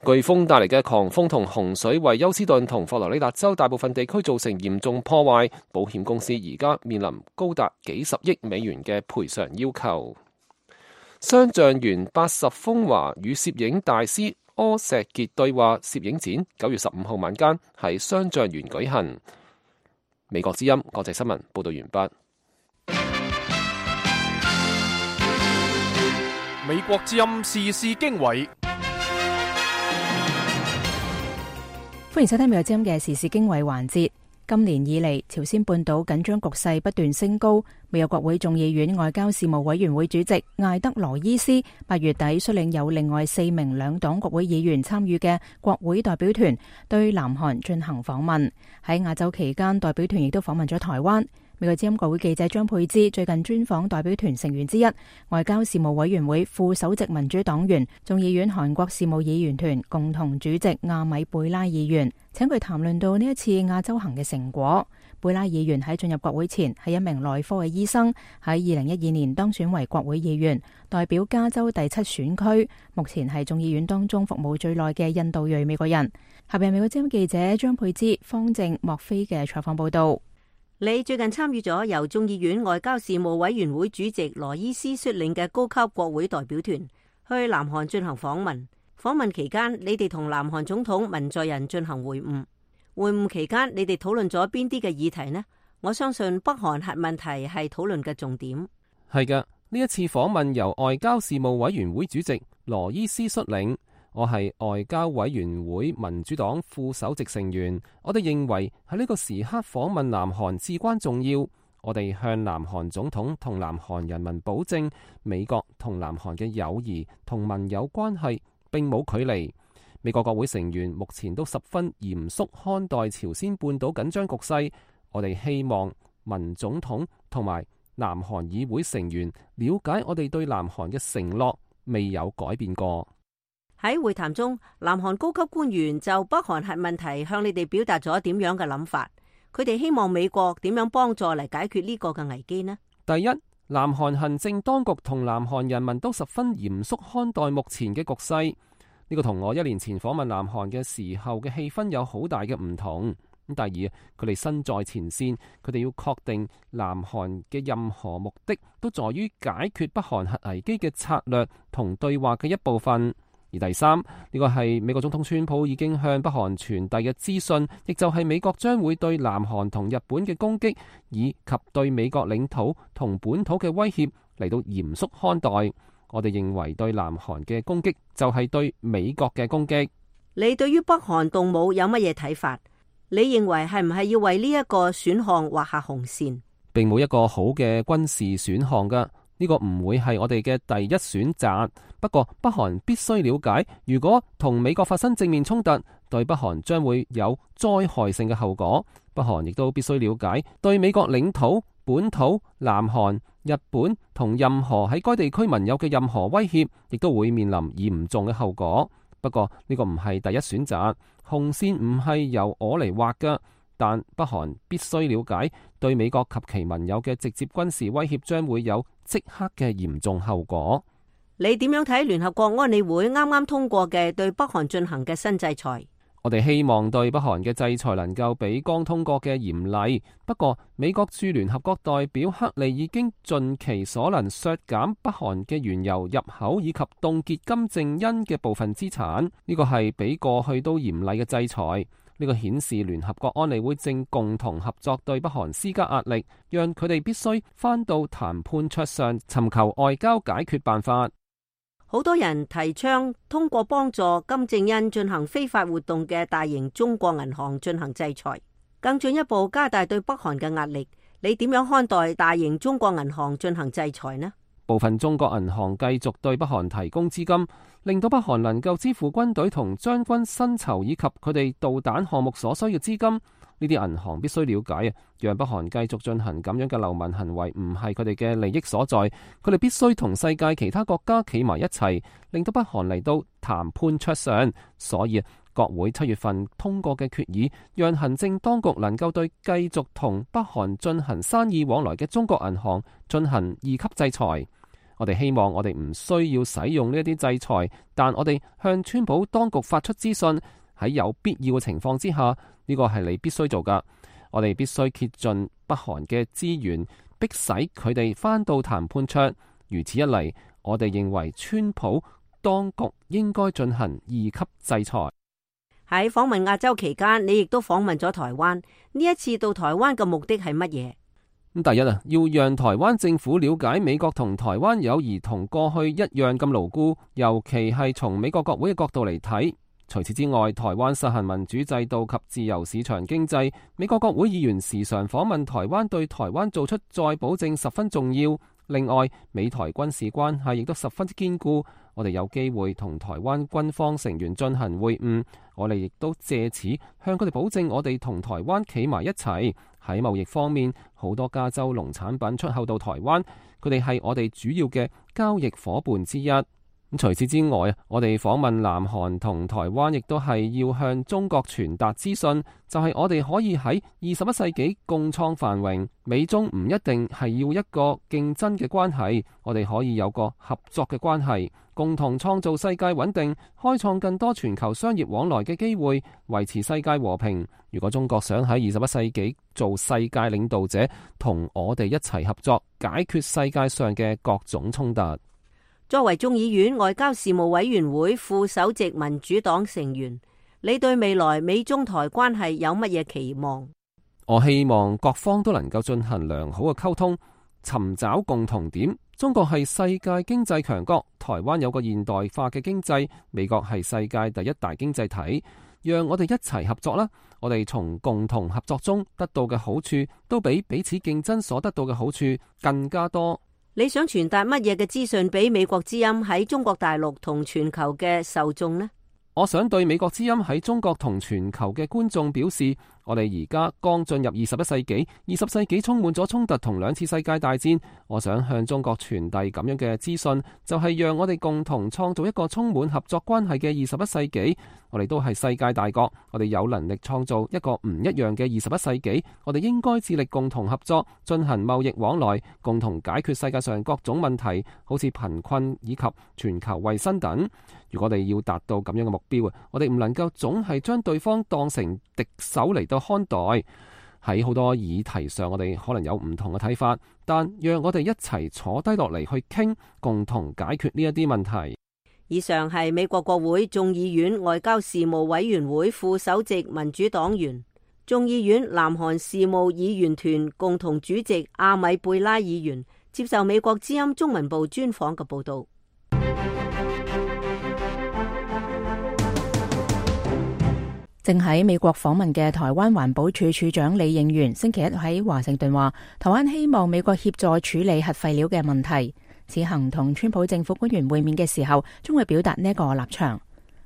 颶風帶嚟嘅狂風同洪水為休斯頓同佛羅里達州大部分地區造成嚴重破壞，保險公司而家面臨高達幾十億美元嘅賠償要求。雙橡園八十風華與攝影大師柯石傑對話攝影展九月十五號晚間喺雙橡園舉行。美國之音國際新聞報道完畢。美國之音時事經緯，歡迎收聽美國之音嘅時事經緯環節。今年以嚟，朝鮮半島緊張局勢不斷升高。美國國會眾議院外交事務委員會主席艾德羅伊斯八月底率領有另外四名兩黨國會議員參與嘅國會代表團對南韓進行訪問。喺亞洲期間，代表團亦都訪問咗台灣。美國之音國會記者張佩芝最近專訪代表團成員之一，外交事務委員會副首席民主黨員、眾議院韓國事務議員團共同主席亞米貝拉議員，請佢談論到呢一次亞洲行嘅成果。貝拉議員喺進入國會前係一名內科嘅醫生，喺二零一二年當選為國會議員，代表加州第七選區，目前係眾議院當中服務最耐嘅印度裔美國人。下邊美國之音記者張佩芝、方正、莫菲嘅採訪報道。你最近參與咗由眾議院外交事務委員會主席羅伊斯率領嘅高級國會代表團去南韓進行訪問。訪問期間，你哋同南韓總統文在寅進行會晤。會晤期間，你哋討論咗邊啲嘅議題呢？我相信北韓核問題係討論嘅重點。係嘅，呢一次訪問由外交事務委員會主席羅伊斯率領。我係外交委員會民主黨副首席成員，我哋認為喺呢個時刻訪問南韓至關重要。我哋向南韓總統同南韓人民保證，美國同南韓嘅友誼同盟友關係並冇距離。美國國會成員目前都十分嚴肅看待朝鮮半島緊張局勢。我哋希望文總統同埋南韓議會成員了解我哋對南韓嘅承諾未有改變過。喺會談中，南韓高級官員就北韓核問題向你哋表達咗點樣嘅諗法？佢哋希望美國點樣幫助嚟解決呢個嘅危機呢？第一，南韓行政當局同南韓人民都十分嚴肅看待目前嘅局勢。呢個同我一年前訪問南韓嘅時候嘅氣氛有好大嘅唔同。咁第二，佢哋身在前線，佢哋要確定南韓嘅任何目的都在於解決北韓核危機嘅策略同對話嘅一部分。而第三，呢個係美國總統川普已經向北韓傳遞嘅資訊，亦就係美國將會對南韓同日本嘅攻擊，以及對美國領土同本土嘅威脅嚟到嚴肅看待。我哋認為對南韓嘅攻擊就係對美國嘅攻擊。你對於北韓動武有乜嘢睇法？你認為係唔係要為呢一個選項劃下紅線？並冇一個好嘅軍事選項㗎。呢個唔會係我哋嘅第一選擇。不過北韓必須了解，如果同美國發生正面衝突，對北韓將會有災害性嘅後果。北韓亦都必須了解，對美國領土、本土、南韓、日本同任何喺該地區民有嘅任何威脅，亦都會面臨嚴重嘅後果。不過呢個唔係第一選擇，紅線唔係由我嚟畫㗎。但北韓必須了解，對美國及其盟友嘅直接軍事威脅將會有即刻嘅嚴重後果。你點樣睇聯合國安理會啱啱通過嘅對北韓進行嘅新制裁？我哋希望對北韓嘅制裁能夠比剛通過嘅嚴厲。不過美國駐聯合國代表克利已經盡其所能削減北韓嘅原油入口以及凍結金正恩嘅部分資產。呢個係比過去都嚴厲嘅制裁。呢個顯示聯合國安理會正共同合作對北韓施加壓力，讓佢哋必須返到談判桌上尋求外交解決辦法。好多人提倡通過幫助金正恩進行非法活動嘅大型中國銀行進行制裁，更進一步加大對北韓嘅壓力。你點樣看待大型中國銀行進行制裁呢？部分中國銀行繼續對北韓提供資金，令到北韓能夠支付軍隊同將軍薪酬以及佢哋導彈項目所需嘅資金。呢啲銀行必須了解啊，讓北韓繼續進行咁樣嘅流氓行為唔係佢哋嘅利益所在。佢哋必須同世界其他國家企埋一齊，令到北韓嚟到談判桌上。所以國會七月份通過嘅決議，讓行政當局能夠對繼續同北韓進行生意往來嘅中國銀行進行二級制裁。我哋希望我哋唔需要使用呢一啲制裁，但我哋向川普當局發出資訊，喺有必要嘅情況之下，呢個係你必須做㗎。我哋必須竭盡北韓嘅資源，迫使佢哋返到談判桌。如此一嚟，我哋認為川普當局應該進行二級制裁。喺訪問亞洲期間，你亦都訪問咗台灣。呢一次到台灣嘅目的係乜嘢？咁第一啊，要讓台灣政府了解美國同台灣友誼同過去一樣咁牢固，尤其係從美國國會嘅角度嚟睇。除此之外，台灣實行民主制度及自由市場經濟，美國國會議員時常訪問台灣，對台灣做出再保證十分重要。另外，美台軍事關係亦都十分之堅固。我哋有機會同台灣軍方成員進行會晤，我哋亦都借此向佢哋保證，我哋同台灣企埋一齊。喺貿易方面，好多加州農產品出口到台灣，佢哋係我哋主要嘅交易夥伴之一。咁除此之外啊，我哋訪問南韓同台灣，亦都係要向中國傳達資訊，就係我哋可以喺二十一世紀共創繁榮。美中唔一定係要一個競爭嘅關係，我哋可以有個合作嘅關係，共同創造世界穩定，開創更多全球商業往來嘅機會，維持世界和平。如果中國想喺二十一世紀做世界領導者，同我哋一齊合作，解決世界上嘅各種衝突。作為眾議院外交事務委員會副首席民主黨成員，你對未來美中台關係有乜嘢期望？我希望各方都能夠進行良好嘅溝通，尋找共同點。中國係世界經濟強國，台灣有個現代化嘅經濟，美國係世界第一大經濟體。讓我哋一齊合作啦！我哋從共同合作中得到嘅好處，都比彼此競爭所得到嘅好處更加多。你想傳達乜嘢嘅資訊俾美國之音喺中國大陸同全球嘅受眾呢？我想對美國之音喺中國同全球嘅觀眾表示，我哋而家剛進入二十一世紀，二十世紀充滿咗衝突同兩次世界大戰。我想向中國傳遞咁樣嘅資訊，就係讓我哋共同創造一個充滿合作關係嘅二十一世紀。我哋都係世界大國，我哋有能力創造一個唔一樣嘅二十一世紀。我哋應該致力共同合作，進行貿易往來，共同解決世界上各種問題，好似貧困以及全球衛生等。如果我哋要達到咁樣嘅目標啊，我哋唔能夠總係將對方當成敵手嚟到看待。喺好多議題上，我哋可能有唔同嘅睇法，但讓我哋一齊坐低落嚟去傾，共同解決呢一啲問題。以上係美國國會眾議院外交事務委員會副首席民主黨員、眾議院南韓事務議員團共同主席阿米貝拉議員接受美國之音中文部專訪嘅報道。正喺美國訪問嘅台灣環保署署長李應元星期一喺華盛頓話，台灣希望美國協助處理核廢料嘅問題。此行同川普政府官員會面嘅時候，將會表達呢個立場。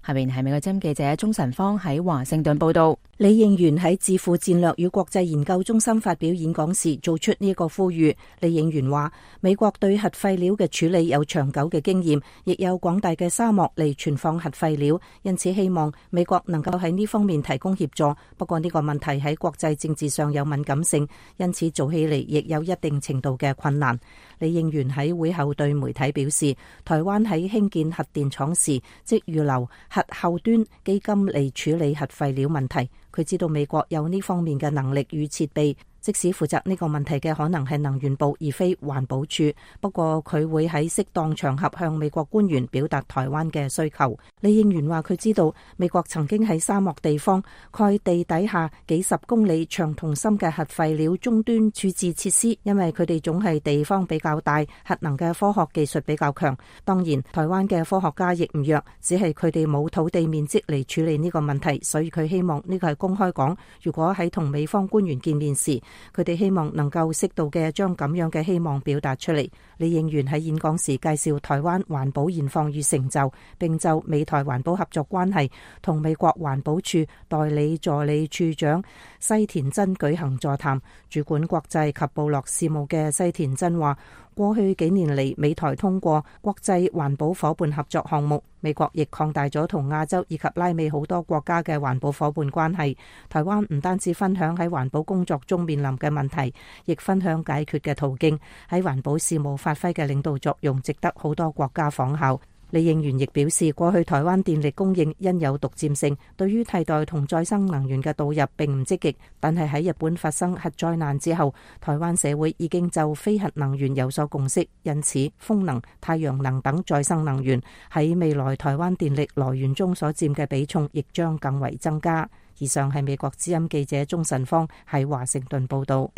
下面係美國之音記者鍾晨芳喺華盛頓報道。李應元喺智庫戰略與國際研究中心發表演講時，做出呢個呼籲。李應元話：美國對核廢料嘅處理有長久嘅經驗，亦有廣大嘅沙漠嚟存放核廢料，因此希望美國能夠喺呢方面提供協助。不過呢個問題喺國際政治上有敏感性，因此做起嚟亦有一定程度嘅困難。李應元喺會後對媒體表示，台灣喺興建核電廠時，即預留核後端基金嚟處理核廢料問題。佢知道美國有呢方面嘅能力與設備，即使負責呢個問題嘅可能係能源部而非環保署。不過佢會喺適當場合向美國官員表達台灣嘅需求。李應元話佢知道美國曾經喺沙漠地方蓋地底下幾十公里長同深嘅核廢料終端處置設施，因為佢哋總係地方比較大，核能嘅科學技術比較強。當然台灣嘅科學家亦唔弱，只係佢哋冇土地面積嚟處理呢個問題，所以佢希望呢個係公開講。如果喺同美方官員見面時，佢哋希望能夠適度嘅將咁樣嘅希望表達出嚟。李應元喺演講時介紹台灣環保現況與成就，並就美台環保合作關係同美國環保署代理助理處長西田真舉行座談。主管國際及部落事務嘅西田真話，過去幾年嚟，美台通過國際環保夥伴合作項目，美國亦擴大咗同亞洲以及拉美好多國家嘅環保夥伴關係。台灣唔單止分享喺環保工作中面臨嘅問題，亦分享解決嘅途徑，喺環保事務發揮嘅領導作用，值得好多國家仿效。李應元亦表示，過去台灣電力供應因有獨佔性，對於替代同再生能源嘅導入並唔積極。但係喺日本發生核災難之後，台灣社會已經就非核能源有所共識，因此風能、太陽能等再生能源喺未來台灣電力來源中所佔嘅比重亦將更為增加。以上係美國之音記者鍾晨芳喺華盛頓報道。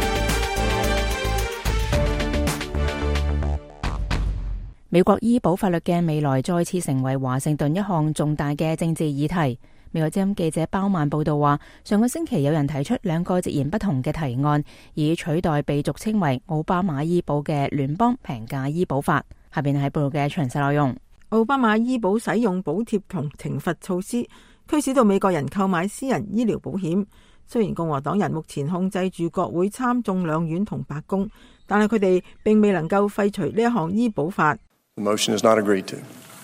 美國醫保法律嘅未來再次成為華盛頓一項重大嘅政治議題。美國之音記者包曼報道話，上個星期有人提出兩個截然不同嘅提案，以取代被俗稱為奧巴馬醫保嘅聯邦平價醫保法。下邊係報道嘅詳細內容。奧巴馬醫保使用補貼同懲罰措施，驅使到美國人購買私人醫療保險。雖然共和黨人目前控制住國會參眾兩院同白宮，但係佢哋並未能夠廢除呢一項醫保法。The motion is not agreed to.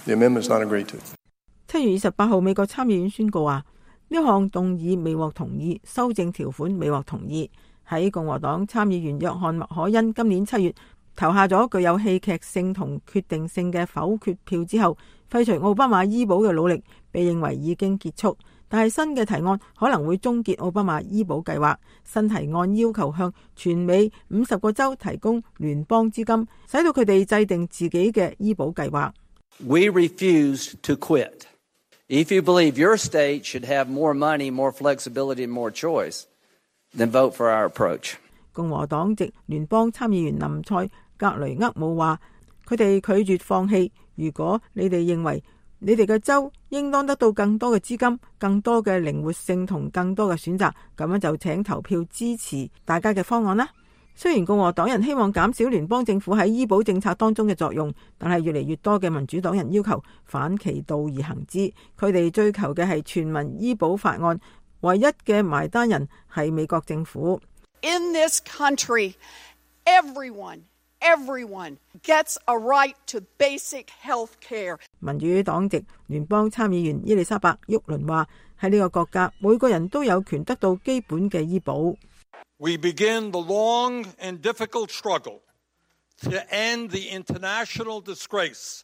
The amendment is not agreed to. 七月二十八號，美國參議院宣告話，呢項動議未獲同意，修正條款未獲同意。喺共和黨參議員約翰麥可恩今年七月投下咗具有戲劇性同決定性嘅否決票之後，廢除奧巴馬醫保嘅努力被認為已經結束。但係新嘅提案可能會終結奧巴馬醫保計劃。新提案要求向全美五十個州提供聯邦資金，使到佢哋制定自己嘅醫保計劃。We refuse to quit. If you believe your state should have more money, more flexibility, and more choice, then vote for our approach. 共和黨籍聯邦參議員林賽格雷厄姆話：佢哋拒絕放棄。如果你哋認為你哋嘅州應當得到更多嘅資金、更多嘅靈活性同更多嘅選擇，咁樣就請投票支持大家嘅方案啦。雖然共和黨人希望減少聯邦政府喺醫保政策當中嘅作用，但係越嚟越多嘅民主黨人要求反其道而行之。佢哋追求嘅係全民醫保法案，唯一嘅埋單人係美國政府。In this country, everyone Everyone gets a right to basic health care. 民主黨籍聯邦參議員伊麗莎白沃倫話：喺呢個國家，每個人都有權得到基本嘅醫保。We begin the long and difficult struggle to end the international disgrace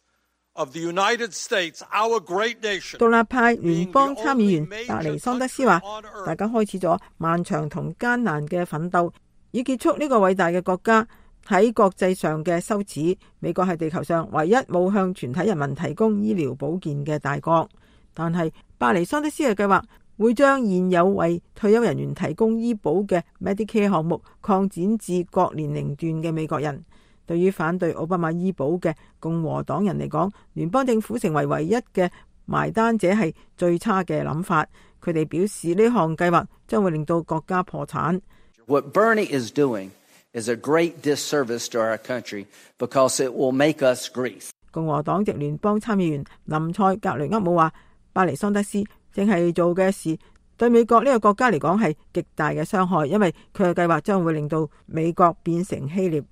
of the United States, our great nation. 獨立派聯邦參議員達尼桑德斯話：大家開始咗漫長同艱難嘅奮鬥，以結束呢個偉大嘅國家喺國際上嘅羞恥。美國係地球上唯一冇向全體人民提供醫療保健嘅大國，但係巴尼桑德斯嘅計劃會將現有為退休人員提供醫保嘅 Medicare 項目擴展至各年齡段嘅美國人。對於反對奧巴馬醫保嘅共和黨人嚟講，聯邦政府成為唯一嘅埋單者係最差嘅諗法。佢哋表示呢項計劃將會令到國家破產。What Bernie is doing is a great disservice to our country because it will make us Greece. 共和黨籍聯邦參議員林賽格雷厄姆話：巴尼桑德斯正係做嘅事對美國呢個國家嚟講係極大嘅傷害，因為佢嘅計劃將會令到美國變成希臘。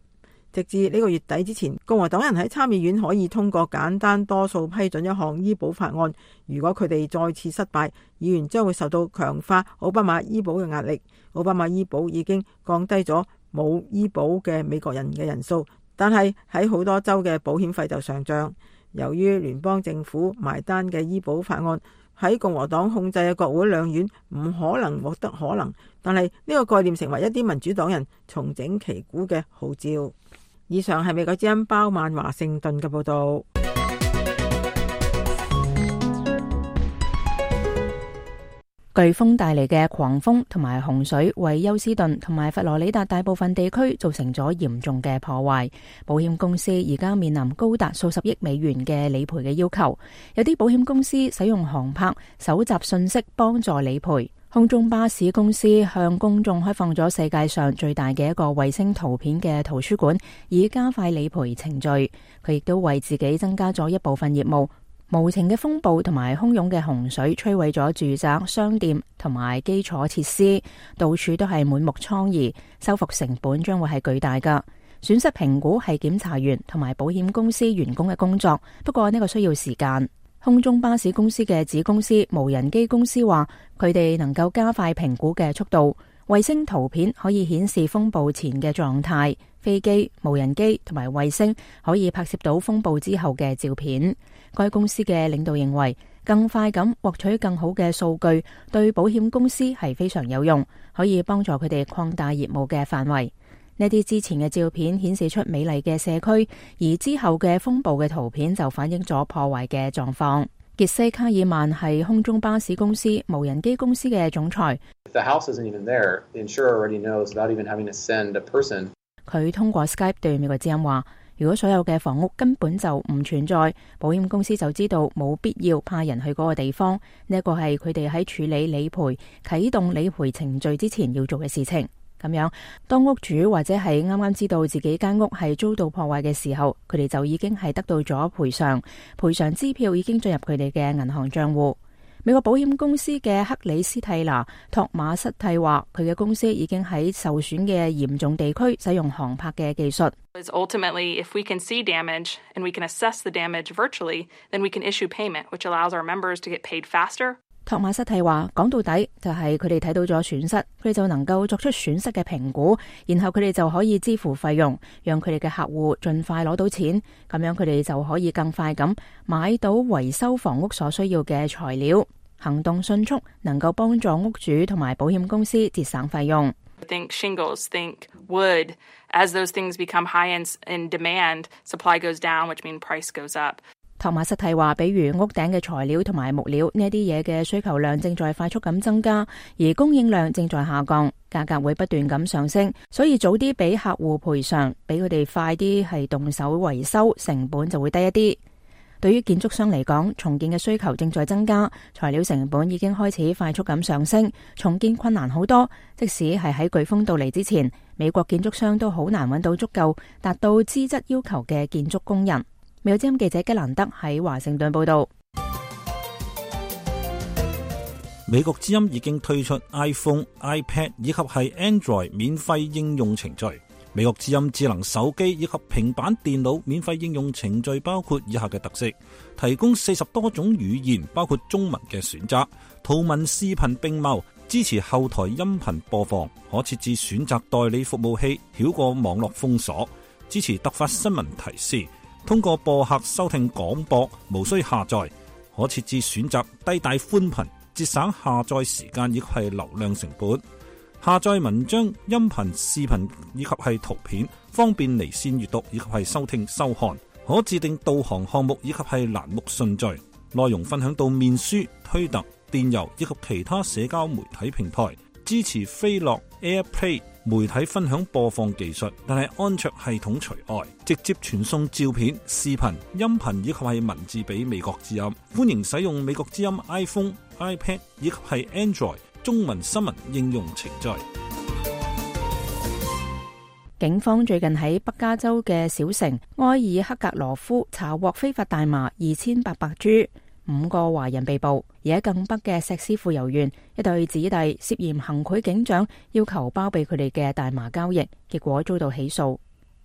直至呢個月底之前，共和黨人喺參議院可以通過簡單多數批准一項醫保法案。如果佢哋再次失敗，議員將會受到強化奧巴馬醫保嘅壓力。奧巴馬醫保已經降低咗冇醫保嘅美國人嘅人數，但係喺好多州嘅保險費就上漲。由於聯邦政府埋單嘅醫保法案喺共和黨控制嘅國會兩院唔可能獲得可能，但係呢個概念成為一啲民主黨人重整旗鼓嘅號召。以上係美國之音包曼華盛頓嘅報道。颶風帶嚟嘅狂風同埋洪水為休斯頓同埋佛羅里達大部分地區造成咗嚴重嘅破壞，保險公司而家面臨高達數十億美元嘅理賠嘅要求。有啲保險公司使用航拍搜集信息幫助理賠。空中巴士公司向公眾開放咗世界上最大嘅一個衛星圖片嘅圖書館，以加快理賠程序。佢亦都為自己增加咗一部分業務。無情嘅風暴同埋洶湧嘅洪水摧毀咗住宅、商店同埋基礎設施，到處都係滿目瘡痍，修復成本將會係巨大噶。損失評估係檢查員同埋保險公司員工嘅工作，不過呢個需要時間。空中巴士公司嘅子公司無人機公司話，佢哋能夠加快評估嘅速度。衛星圖片可以顯示風暴前嘅狀態，飛機、無人機同埋衛星可以拍攝到風暴之後嘅照片。該公司嘅領導認為，更快咁獲取更好嘅數據，對保險公司係非常有用，可以幫助佢哋擴大業務嘅範圍。呢啲之前嘅照片顯示出美麗嘅社區，而之後嘅風暴嘅圖片就反映咗破壞嘅狀況。傑西卡爾曼係空中巴士公司無人機公司嘅總裁。佢通過 Skype 對美國之音話，如果所有嘅房屋根本就唔存在，保險公司就知道冇必要派人去嗰個地方。呢一個係佢哋喺處理理賠、啟動理賠程序之前要做嘅事情。咁樣，當屋主或者係啱啱知道自己間屋係遭到破壞嘅時候，佢哋就已經係得到咗賠償，賠償支票已經進入佢哋嘅銀行賬戶。美國保險公司嘅克里斯蒂娜托馬斯蒂話，佢嘅公司已經喺受損嘅嚴重地區使用航拍嘅技術。Ultimately, if we can see damage and we can assess the damage virtually, then we can issue payment, which allows our members to get paid faster. 托馬斯蒂話，講到底就係佢哋睇到咗損失，佢哋就能夠作出損失嘅評估，然後佢哋就可以支付費用，讓佢哋嘅客戶盡快攞到錢，咁樣佢哋就可以更快咁買到維修房屋所需要嘅材料，行動迅速，能夠幫助屋主同埋保險公司節省費用。Think shingles, think wood. As those things become high in, in demand, supply goes down, which means price goes up. 托馬斯蒂話，比如屋頂嘅材料同埋木料呢啲嘢嘅需求量正在快速咁增加，而供應量正在下降，價格會不斷咁上升，所以早啲俾客戶賠償，俾佢哋快啲係動手維修，成本就會低一啲。對於建築商嚟講，重建嘅需求正在增加，材料成本已經開始快速咁上升，重建困難好多。即使係喺颶風到嚟之前，美國建築商都好難揾到足夠達到資質要求嘅建築工人。美國之音記者吉蘭德喺華盛頓報道。美國之音已經推出 iPhone、iPad 以及係 Android 免費應用程序。美國之音智能手機以及平板電腦免費應用程序包括以下嘅特色：提供四十多種語言，包括中文嘅選擇，圖文視頻並茂，支持後台音頻播放，可設置選擇代理服務器，繞過網絡封鎖，支持突發新聞提示。通過播客收聽廣播，無需下載，可設置選擇低帶寬頻，節省下載時間以及係流量成本。下載文章、音頻、視頻以及係圖片，方便離線閱讀以及係收聽收看。可自定導航項目以及係欄目順序。內容分享到面書、推特、電郵以及其他社交媒體平台。支持飛樂 AirPlay 媒體分享播放技術，但係安卓系統除外。直接傳送照片、視頻、音頻以及係文字俾美國之音。歡迎使用美國之音 iPhone、iPad 以及係 Android 中文新聞應用程序。警方最近喺北加州嘅小城埃爾克格羅夫查獲非法大麻二千八百株。五個華人被捕，而喺更北嘅石獅附游園，一對子弟涉嫌行賄警長，要求包庇佢哋嘅大麻交易，結果遭到起訴。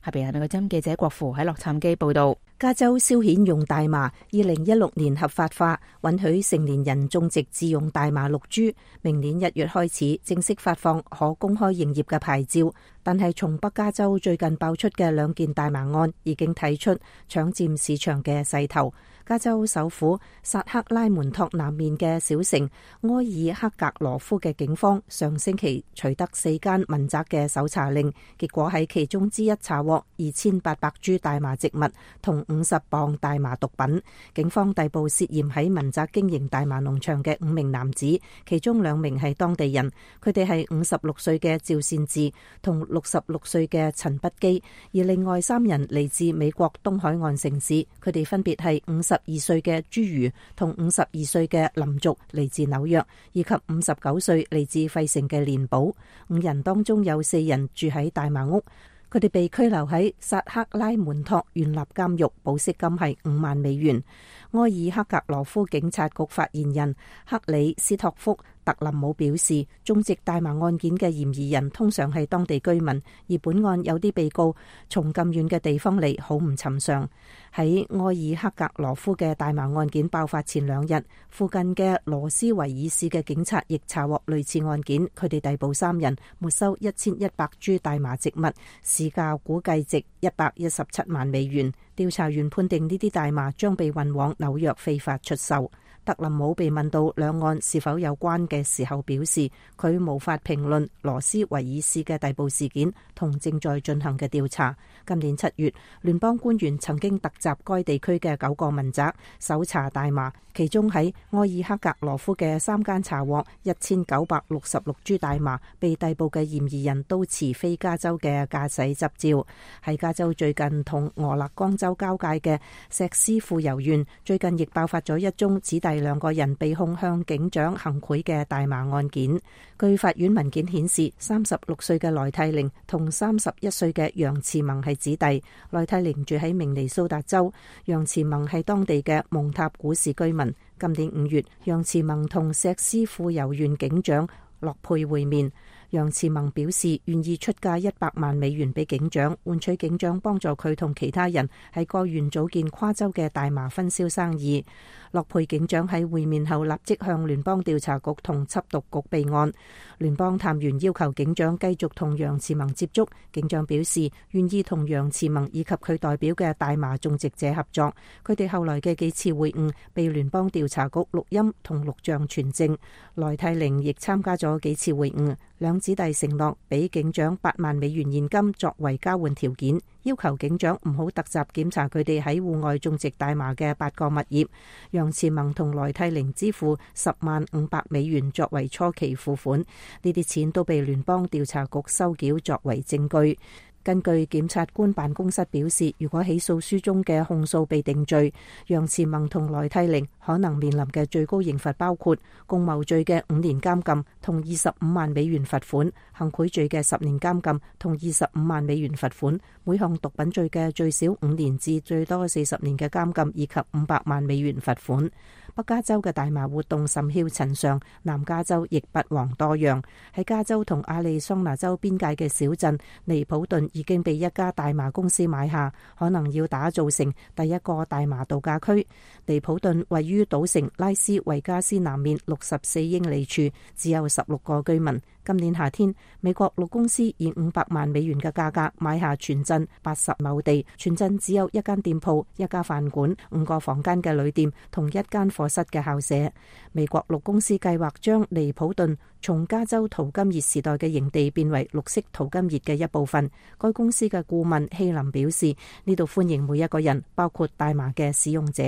下邊係美國之音記者郭芙喺洛杉磯報道。加州消遣用大麻二零一六年合法化，允許成年人種植自用大麻六株，明年一月開始正式發放可公開營業嘅牌照。但係從北加州最近爆出嘅兩件大麻案已經睇出搶佔市場嘅勢頭。加州首府薩克拉門托南面嘅小城埃爾克格羅夫嘅警方上星期取得四間民宅嘅搜查令，結果喺其中之一查獲二千八百株大麻植物同五十磅大麻毒品。警方逮捕涉嫌喺民宅經營大麻農場嘅五名男子，其中兩名係當地人，佢哋係五十六歲嘅趙善志同六十六歲嘅陳不基，而另外三人嚟自美國東海岸城市，佢哋分別係五十二歲嘅朱如同五十二歲嘅林族嚟自紐約，以及五十九歲嚟自費城嘅連寶。五人當中有四人住喺大麻屋，佢哋被拘留喺薩克拉門托縣立監獄，保釋金係五萬美元。埃爾克格羅夫警察局發言人克里斯托夫特林姆表示，種植大麻案件嘅嫌疑人通常係當地居民，而本案有啲被告從咁遠嘅地方嚟，好唔尋常。喺埃爾克格羅夫嘅大麻案件爆發前兩日，附近嘅羅斯維爾市嘅警察亦查獲類似案件，佢哋逮捕三人，沒收一千一百株大麻植物，市價估計值一百一十七萬美元。調查員判定呢啲大麻將被運往紐約非法出售。特林姆被問到兩案是否有關嘅時候，表示佢無法評論羅斯維爾市嘅逮捕事件同正在進行嘅調查。今年七月，聯邦官員曾經突襲該地區嘅九個民宅，搜查大麻，其中喺埃爾克格羅夫嘅三間查獲一千九百六十六株大麻，被逮捕嘅嫌疑人都持非加州嘅駕駛執照。喺加州最近同俄勒岡州交界嘅石斯庫尤縣，最近亦爆發咗一宗指大兩個人被控向警長行賄嘅大麻案件。據法院文件顯示，三十六歲嘅萊蒂寧同三十一歲嘅楊慈萌係子弟。萊蒂寧住喺明尼蘇達州，楊慈萌係當地嘅蒙塔古市居民。今年五月，楊慈萌同石斯庫尤縣警長洛佩會面。楊慈萌表示願意出價一百萬美元俾警長，換取警長幫助佢同其他人喺該縣組建跨州嘅大麻分銷生意。洛佩警長喺會面後立即向聯邦調查局同緝毒局備案。聯邦探員要求警長繼續同楊慈萌接觸，警長表示願意同楊慈萌以及佢代表嘅大麻種植者合作。佢哋後來嘅幾次會晤被聯邦調查局錄音同錄像傳證。萊蒂寧亦參加咗幾次會晤，兩子弟承諾俾警長八萬美元現金作為交換條件，要求警長唔好突襲檢查佢哋喺戶外種植大麻嘅八個物業。楊慈萌同萊蒂寧支付十萬五百美元作為初期付款，呢啲錢都被聯邦調查局收繳作為證據。根據檢察官辦公室表示，如果起訴書中嘅控訴被定罪，楊慈萌同萊蒂寧可能面臨嘅最高刑罰包括共謀罪嘅五年監禁同二十五萬美元罰款，行賄罪嘅十年監禁同二十五萬美元罰款，每項毒品罪嘅最少五年至最多四十年嘅監禁以及五百萬美元罰款。北加州嘅大麻活動甚囂塵上，南加州亦不遑多讓。喺加州同亞利桑那州邊界嘅小鎮尼普頓已經被一家大麻公司買下，可能要打造成第一個大麻度假區。尼普頓位於賭城拉斯維加斯南面六十四英里處，只有十六個居民。今年夏天，美國陸公司以五百萬美元嘅價格買下全鎮八十畝地，全鎮只有一間店鋪、一家飯館、五個房間嘅旅店同一間課室嘅校舍。美國陸公司計劃將尼普頓從加州淘金熱時代嘅營地變為綠色淘金熱嘅一部分。該公司嘅顧問希林表示，呢度歡迎每一個人，包括大麻嘅使用者。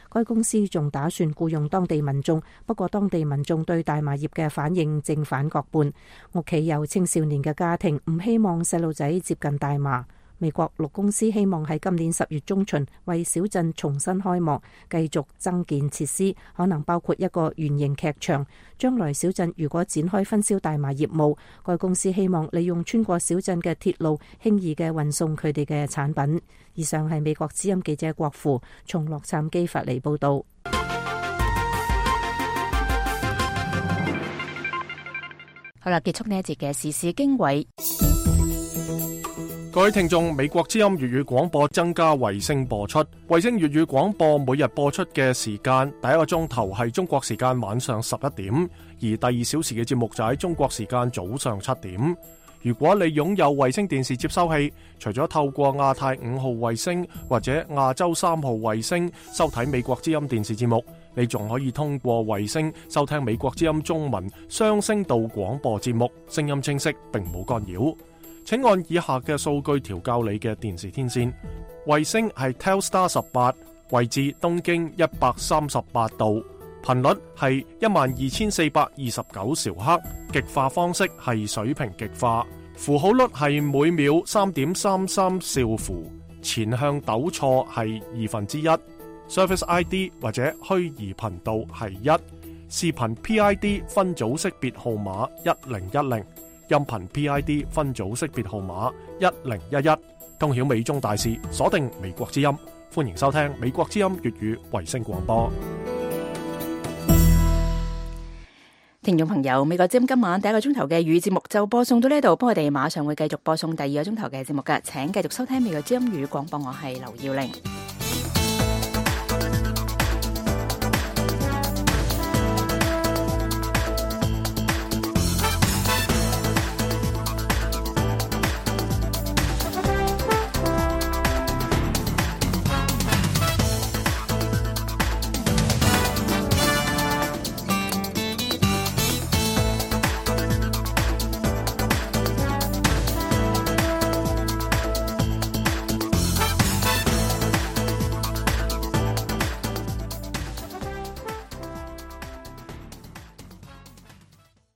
該公司仲打算僱用當地民眾，不過當地民眾對大麻葉嘅反應正反各半。屋企有青少年嘅家庭唔希望細路仔接近大麻。美國陸公司希望喺今年十月中旬為小鎮重新開幕，繼續增建設施，可能包括一個圓形劇場。將來小鎮如果展開分銷大麻業務，該公司希望利用穿過小鎮嘅鐵路，輕易嘅運送佢哋嘅產品。以上係美國之音記者郭芙從洛杉磯發嚟報道。好啦，結束呢一節嘅時事經緯。各位聽眾，美國之音粵語廣播增加衛星播出。衛星粵語廣播每日播出嘅時間，第一個鐘頭係中國時間晚上十一點，而第二小時嘅節目就喺中國時間早上七點。如果你擁有衛星電視接收器，除咗透過亞太五號衛星或者亞洲三號衛星收睇美國之音電視節目，你仲可以通過衛星收聽美國之音中文雙聲道廣播節目，聲音清晰並冇干擾。請按以下嘅數據調校你嘅電視天線。衛星係 Telstar 十八，位置東經一百三十八度，頻率係一萬二千四百二十九兆赫，極化方式係水平極化，符號率係每秒三點三三兆符，前向抖錯係二分之一。Service I D 或者虛擬頻道係一，視頻 P I D 分組識別號碼一零一零，音頻 P I D 分組識別號碼一零一一，通曉美中大事，鎖定美國之音，歡迎收聽美國之音粵語衛星廣播。聽眾朋友，美國之音今晚第一個鐘頭嘅粵語節目就播送到呢度，不過我哋馬上會繼續播送第二個鐘頭嘅節目㗎，請繼續收聽美國之音粵語廣播，我係劉耀玲。